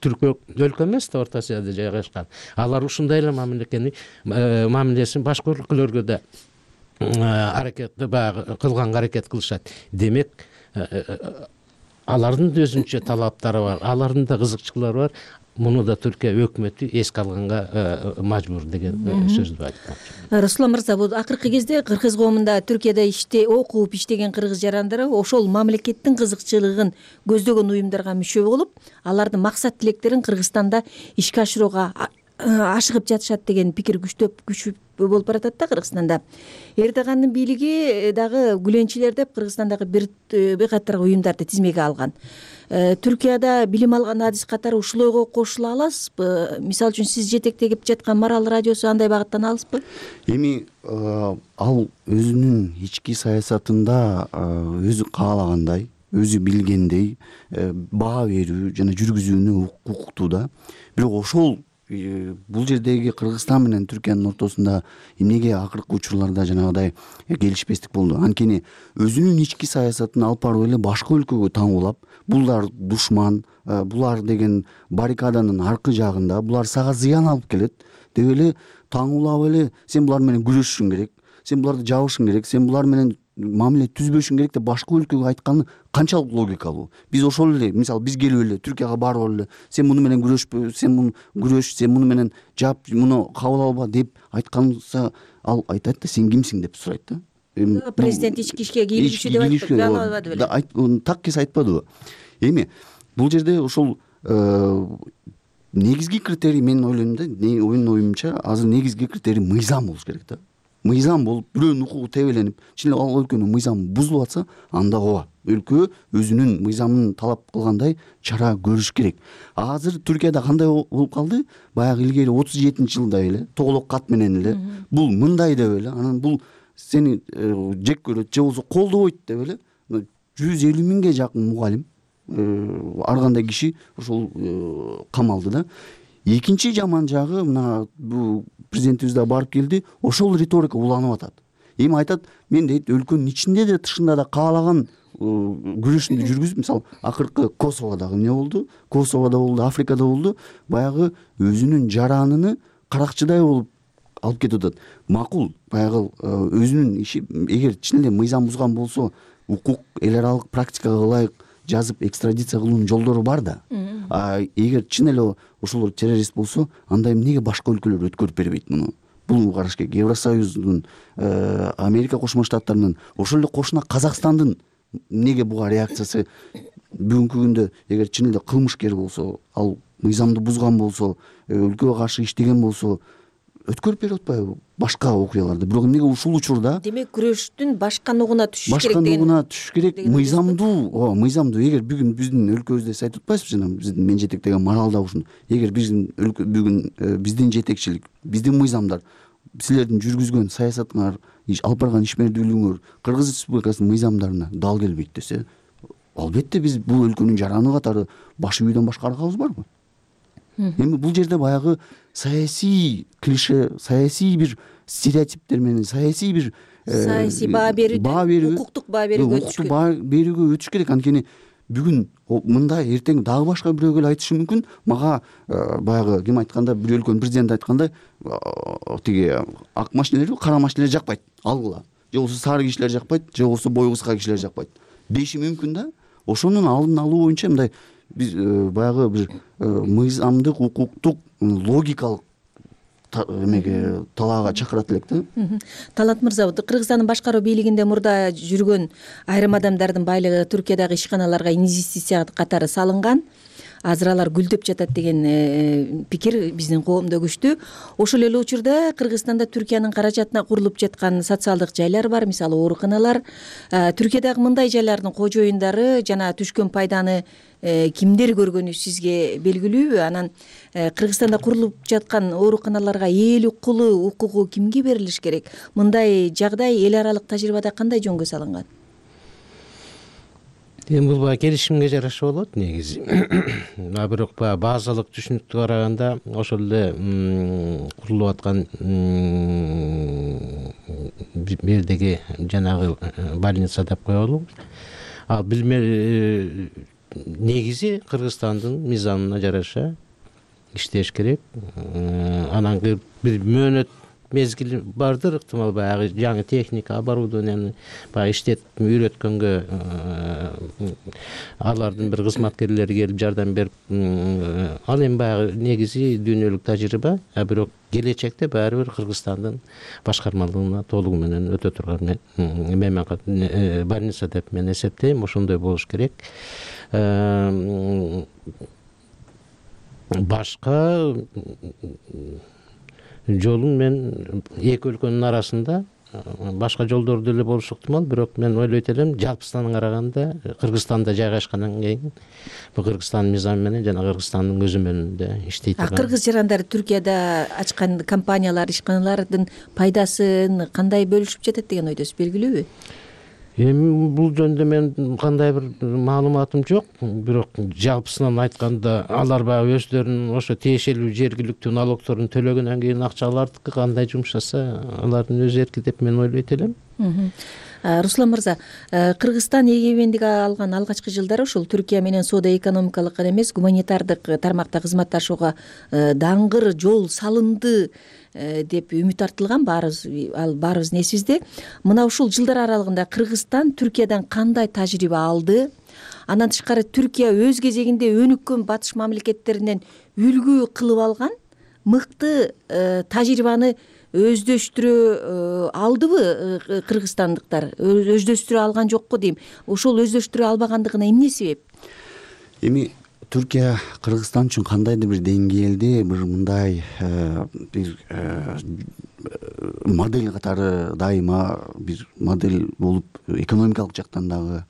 түркө өлкө эмес да, Орто Азияда жайгашкан. Алар ушундай эле мамилени мамилесин башка өлкөлөргө да аракетти баягы кылганга аракет кылышат. Демек, алардын да өзүнчө талаптары бар, алардын да кызыкчылыктары бар. Муну да Түркия өкмөтү эске алганга мажбур деген сөздү айткан. Руслан мырза, бул акыркы кезде кыргыз коомунда Түркияда иште окуп иштеген кыргыз жарандары ошол мамлекеттин кызыкчылыгын көздөгөн уюмдарга мүчө болуп, алардын максат тилектерин Кыргызстанда ишке ашырууга ашыгып жатышат деген пикир күчтөп күчүп болуп баратат да Кыргызстанда. Эрдогандын бийлиги дагы гүленчилер деп Кыргызстандагы бир бир катар уюмдарды тизмеге алган. Түркияда билим алган адис катары ушул ойго кошула аласызбы? Мисалы үчүн сиз жетектеп жаткан Марал радиосу андай багыттан алыспы? Эми ал өзүнүн ички саясатында өзү каалагандай, өзү билгендей баа берүү жана жүргүзүүнү укуктуу да. Бирок ошол бул жердеги Кыргызстан менен Түркиянын ортосунда эмнеге акыркы учурларда жанагыдай келишпестик болду? Анткени өзүнүн ички саясатын алып барып эле башка өлкөгө таңуулап, булар душман, булар деген баррикаданын аркы жагында, булар сага зыян алып келет деп эле таңуулап эле сен булар менен күрөшүшүң керек, сен буларды жабышың керек, сен булар менен мамиле түзбөшүң керек деп башка өлкөгө айтканы канчалык логикалуу? Биз ошол эле, мисалы биз келип эле Түркияга барып эле сен муну менен күрөшпө, сен муну күрөш, сен муну менен жап, муну кабыл алба деп айтканса, ал айтат да сен кимсиң деп сурайт да. Президент ички ишке кийлигишүү деп айтпады беле? Так кес айтпадыбы? Эми бул жерде ошол негизги критерий, мен ойлойм да, менин оюмча азыр негизги критерий мыйзам болуш керек да. Мыйзам болуп, бирөөнүн укугу тебеленип, чын эле ал өлкөнүн мыйзамы бузулуп атса, анда ооба, өлкө өзүнүн мыйзамын талап кылгандай чара көрүш керек. Азыр Түркияда кандай болуп калды? Баягы илгери отуз жетинчи жылда эле, тоголок кат менен эле, бул мындай деп эле, анан бул сени жек көрөт же болбосо колдобойт деп эле жүз элүү миңге жакын мугалим, ар кандай киши ошол камалды да. Экинчи жаман жагы, мына бул президентибиз да барып келди, ошол риторика уланып атат. Эми айтат, мен дейт өлкөнүн ичинде да тышында да каалаган күрөшүмдү жүргүзүп, мисалы акыркы Косоводо эмне болду? Косоводо болду, Африкада болду, баягы өзүнүн жараныны каракчыдай болуп алып кетип атат. Макул, баягы өзүнүн иши, эгер чын эле мыйзам бузган болсо, укук эл аралык практикага ылайык жазып экстрадиция кылуунун жолдору бар да. А эгер чын эле ошолор террорист болсо, анда эмнеге башка өлкөлөр өткөрүп бербейт муну? Бул караш керек. Евросоюздун, Америка Кошмо Штаттарынын, ошол эле кошуна Казакстандын эмнеге буга реакциясы бүгүнкү күндө эгер чын эле кылмышкер болсо, ал мыйзамды бузган болсо, өлкөгө каршы иштеген болсо, өткөрүп берип атпайбы башка окуяларды? Бирок эмнеге ушул учурда демек күрөштүн башка ногуна түшүш керек башка деген. ногуна түшүш керек. Мыйзамдуу, ооба, мыйзамдуу. Эгер бүгүн биздин өлкөбүздө сиз айтып атпайсызбы, жана биздин мен жетектеген Маралда ушун. Эгер биздин өлкө бүгүн биздин жетекчилик, биздин мыйзамдар, силердин жүргүзгөн саясатыңар, алып барган ишмердүүлүгүңөр Кыргыз Республикасынын мыйзамдарына дал келбейт десе, албетте биз бул өлкөнүн жараны катары баш ийүүдөн башка аргабыз барбы? Эми бул жерде баягы саясий клише, саясий бир стереотиптер менен, саясий бир саясий баа берүүдөн укуктук баа берүүгө өтүш керек. Баа берүүгө өтүш керек. Анткени бүгүн мындай, эртең дагы башка бирөө келип айтышы мүмкүн. Мага баягы ким айтканда, бир өлкөнүн президенти айткандай, тиги ак машинелер, кара машинелер жакпайт, алгыла. Же болбосо сары кишилер жакпайт, же болбосо бою кыска кишилер жакпайт деши мүмкүн да. Ошонун алдын алуу боюнча мындай биз баягы бир мыйзамдык, укуктук, логикалык эмеге талаага чакырат элек да. Талант мырза, Кыргызстандын башкаруу бийлигинде мурда жүргөн айрым адамдардын байлыгы Түркиядагы ишканаларга инвестиция катары салынган. азыр алар гүлдөп жатат деген пикир биздин коомдо күчтүү. Ошол эле учурда Кыргызстанда Түркиянын каражатына курулуп жаткан социалдык жайлар бар, мисалы ооруканалар. Түркиядагы мындай жайлардын кожоюндары жана түшкөн пайданы кимдер көргөнү сизге белгилүүбү? Анан Кыргызстанда курулуп жаткан ооруканаларга ээлик кылуу укугу кимге берилиш керек? Мындай жагдай эл аралык тажрыйбада кандай жөнгө салынган? Эми бул баягы келишимге жараша болот негизи. А бирок баягы базалык түшүнүктү караганда ошол эле курулуп аткан бердеги жанагы больница деп коелу. Ал билме негизи Кыргызстандын мыйзамына жараша иштеш керек. Анан бир мөөнөт мезгили бардыр, ыктымал баягы жаңы техника, оборудованияны баягы иштетип үйрөткөнгө алардын бир кызматкерлери келип жардам берип, ал эми баягы негизи дүйнөлүк тажрыйба, а бирок келечекте баары бир Кыргызстандын башкармалыгына толугу менен өтө турган больница деп мен эсептейм. Ошондой болуш керек. Башка жолун мен эки өлкөнүн арасында башка жолдор деле болушу ыктымал, бирок мен ойлойт элем жалпысынан караганда Кыргызстанда жайгашкандан кийин бул Кыргызстандын мыйзамы менен жана Кыргызстандын көзөмөлүндө иштейт. Кыргыз жарандары Түркияда ачкан компаниялар, ишканалардын пайдасын кандай бөлүшүп жатат деген ойдосуз, белгилүүбү? Эми бул жөнүндө мен кандай бир маалыматым жок, бирок жалпысынан айтканда алар баягы өздөрүнүн ошо тиешелүү жергиликтүү налогторун төлөгөндөн кийин акча алардыкы кандай жумшаса алардын өз эрки деп мен ойлойт элем. Руслан мырза, Кыргызстан эгемендик алган алгачкы жылдары ушул Түркия менен соода-экономикалык гана эмес, гуманитардык тармакта кызматташууга даңгыр жол салынды деп үмүт артылган, баарыбыз ал баарыбыздын эсибизде. Мына ушул жылдар аралыгында Кыргызстан Түркиядан кандай тажрыйба алды? Андан тышкары Түркия өз кезегинде өнүккөн батыш мамлекеттеринен үлгү кылып алган мыкты тажрыйбаны өздөштүрө алдыбы кыргызстандыктар? Өздөштүрө алган жокпу дейм. Ошол өздөштүрө албагандыгына эмне себеп? Эми Түркия Кыргызстан үчүн кандайдыр бир деңгээлде бир мындай бир модель катары дайыма бир модель болуп, экономикалык жактан дагы,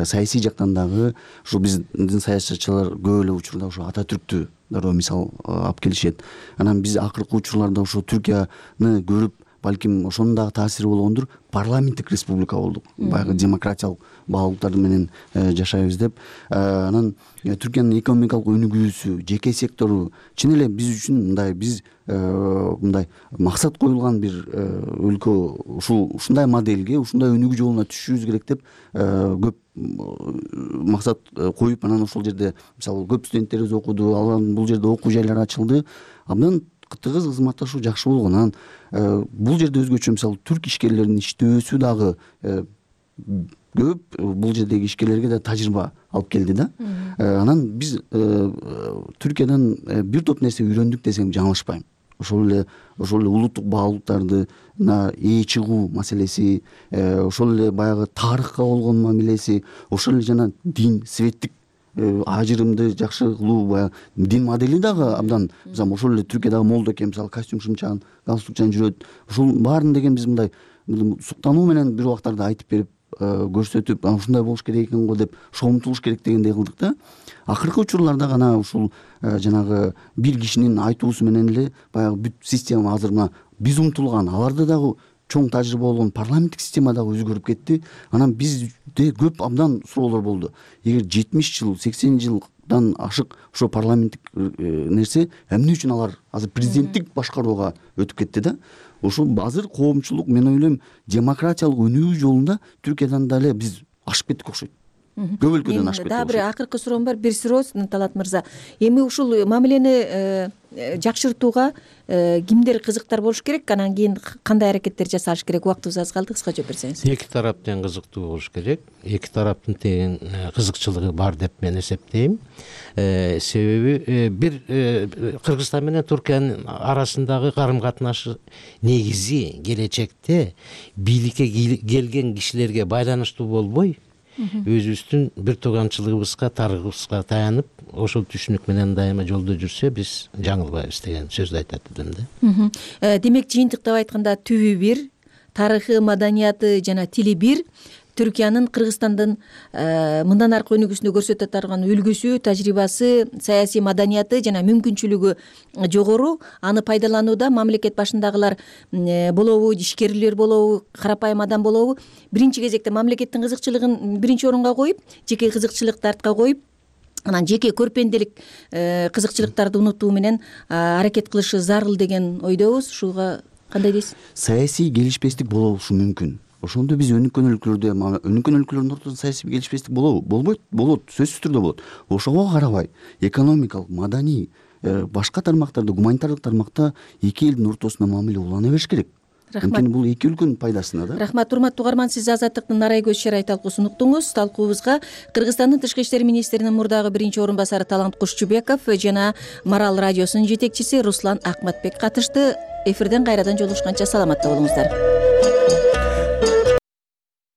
саясий жактан дагы ушу биздин саясатчылар көп эле учурда ошо Ататүрктү дароо мисал алып келишет. Анан биз акыркы учурларда ошо Түркияны көрүп, балким ошонун дагы таасири болгондур, парламенттик республика болдук. Баягы демократиялык баалуулуктар менен жашайбыз деп. Анан Түркиянын экономикалык өнүгүүсү, жеке сектору чын эле биз үчүн мындай биз мындай максат коюлган бир өлкө, ушул ушундай модельге, ушундай өнүгүү жолуна түшүшүбүз керек деп көп максат коюп, анан ошол жерде мисалы көп студенттерибиз окуду, алар бул жерде окуу жайлары ачылды. Андан тыгыз кызматташуу жакшы болгон. Анан бул жерде өзгөчө мисалы түрк ишкерлеринин иштөөсү дагы көп, бул жердеги ишкерлерге да тажрыйба алып келди да. Анан биз Түркиядан бир топ нерсе үйрөндүк десем жаңылышпайм. Ошол эле ошол эле улуттук баалуулуктарды ээ чыгуу маселеси, ошол эле баягы тарыхка болгон мамилеси, ошол эле жана дин, светтик ажырымды жакшы кылуу, баягы дин модели дагы абдан, мисалы ошол эле Түркиядагы молдо экен, мисалы костюм шымчаан, галстукчан жүрөт. Ошол баарын деген биз мындай суктануу менен бир убактарда айтып берип, көрсөтүп, ушундай болуш керек экен го деп ошого умтулуш керек дегендей кылдык да. Акыркы учурларда гана ушул жанагы бир кишинин айтуусу менен эле баягы бүт система азыр мына биз умтулган, аларда дагы чоң тажрыйба болгон парламенттик система дагы өзгөрүп кетти. Анан бизде көп абдан суроолор болду. Эгер жетимиш жыл, сексен жылдан ашык ошо парламенттик нерсе, эмне үчүн алар азыр президенттик башкарууга өтүп кетти да? Ошол азыр коомчулук, мен ойлойм, демократиялык өнүгүү жолунда Түркиядан да эле биз ашып кеттик окшойт. Көп өлкөдөн ашып кеттик. Дагы бир акыркы суроом бар, бир суроо Талат мырза. Эми ушул мамилени жакшыртууга кимдер кызыктар болуш керек? Анан кийин кандай аракеттер жасалыш керек? Убактыбыз аз калды, кыска жооп берсеңиз. Эки тарап тең кызыктуу болуш керек. Эки тараптын тең кызыкчылыгы бар деп мен эсептейм. Себеби бир Кыргызстан менен Түркиянын арасындагы карым катнашы негизи келечекте бийликке келген кишилерге байланыштуу болбой, өзүбүздүн бир тууганчылыгыбызга, тарыхыбызга таянып ошол түшүнүк менен дайыма жолдо жүрсө биз жаңылбайбыз деген сөздү айтат элем да. Демек жыйынтыктап айтканда түбү бир, тарыхы, маданияты жана тили бир, Түркиянын Кыргызстандын мындан аркы өнүгүүсүндө көрсөтө турган үлгүсү, тажрыйбасы, саясий маданияты жана мүмкүнчүлүгү жогору. Аны пайдаланууда мамлекет башындагылар болобу, ишкерлер болобу, карапайым адам болобу, биринчи кезекте мамлекеттин кызыкчылыгын биринчи орунга коюп, жеке кызыкчылыкты артка коюп, анан жеке көрпенделик кызыкчылыктарды унутуу менен аракет кылышы зарыл деген ойдобуз. Ушуга кандай дейсиз? Саясий келишпестик болушу мүмкүн. Ошондо биз өнүккөн өлкөлөрдө, өнүккөн өлкөлөрдүн ортосунда саясий келишпестик болобу? Болбойт, болот, сөзсүз түрдө болот. Ошого карабай, экономикалык, маданий, башка тармактарда, гуманитардык тармакта эки элдин ортосунда мамиле улана бериш керек. Анткени бул эки өлкөнүн пайдасына да. Рахмат, урматтуу угарман, сиз Азаттыктын Нарай көз чарай талкуусун уктуңуз. Талкуубузга Кыргызстандын Тышкы иштер министринин мурдагы биринчи орун басары Талант Кушчубеков жана Марал радиосунун жетекчиси Руслан Акматбек катышты. Эфирден кайрадан жолугушканча саламатта болуңуздар.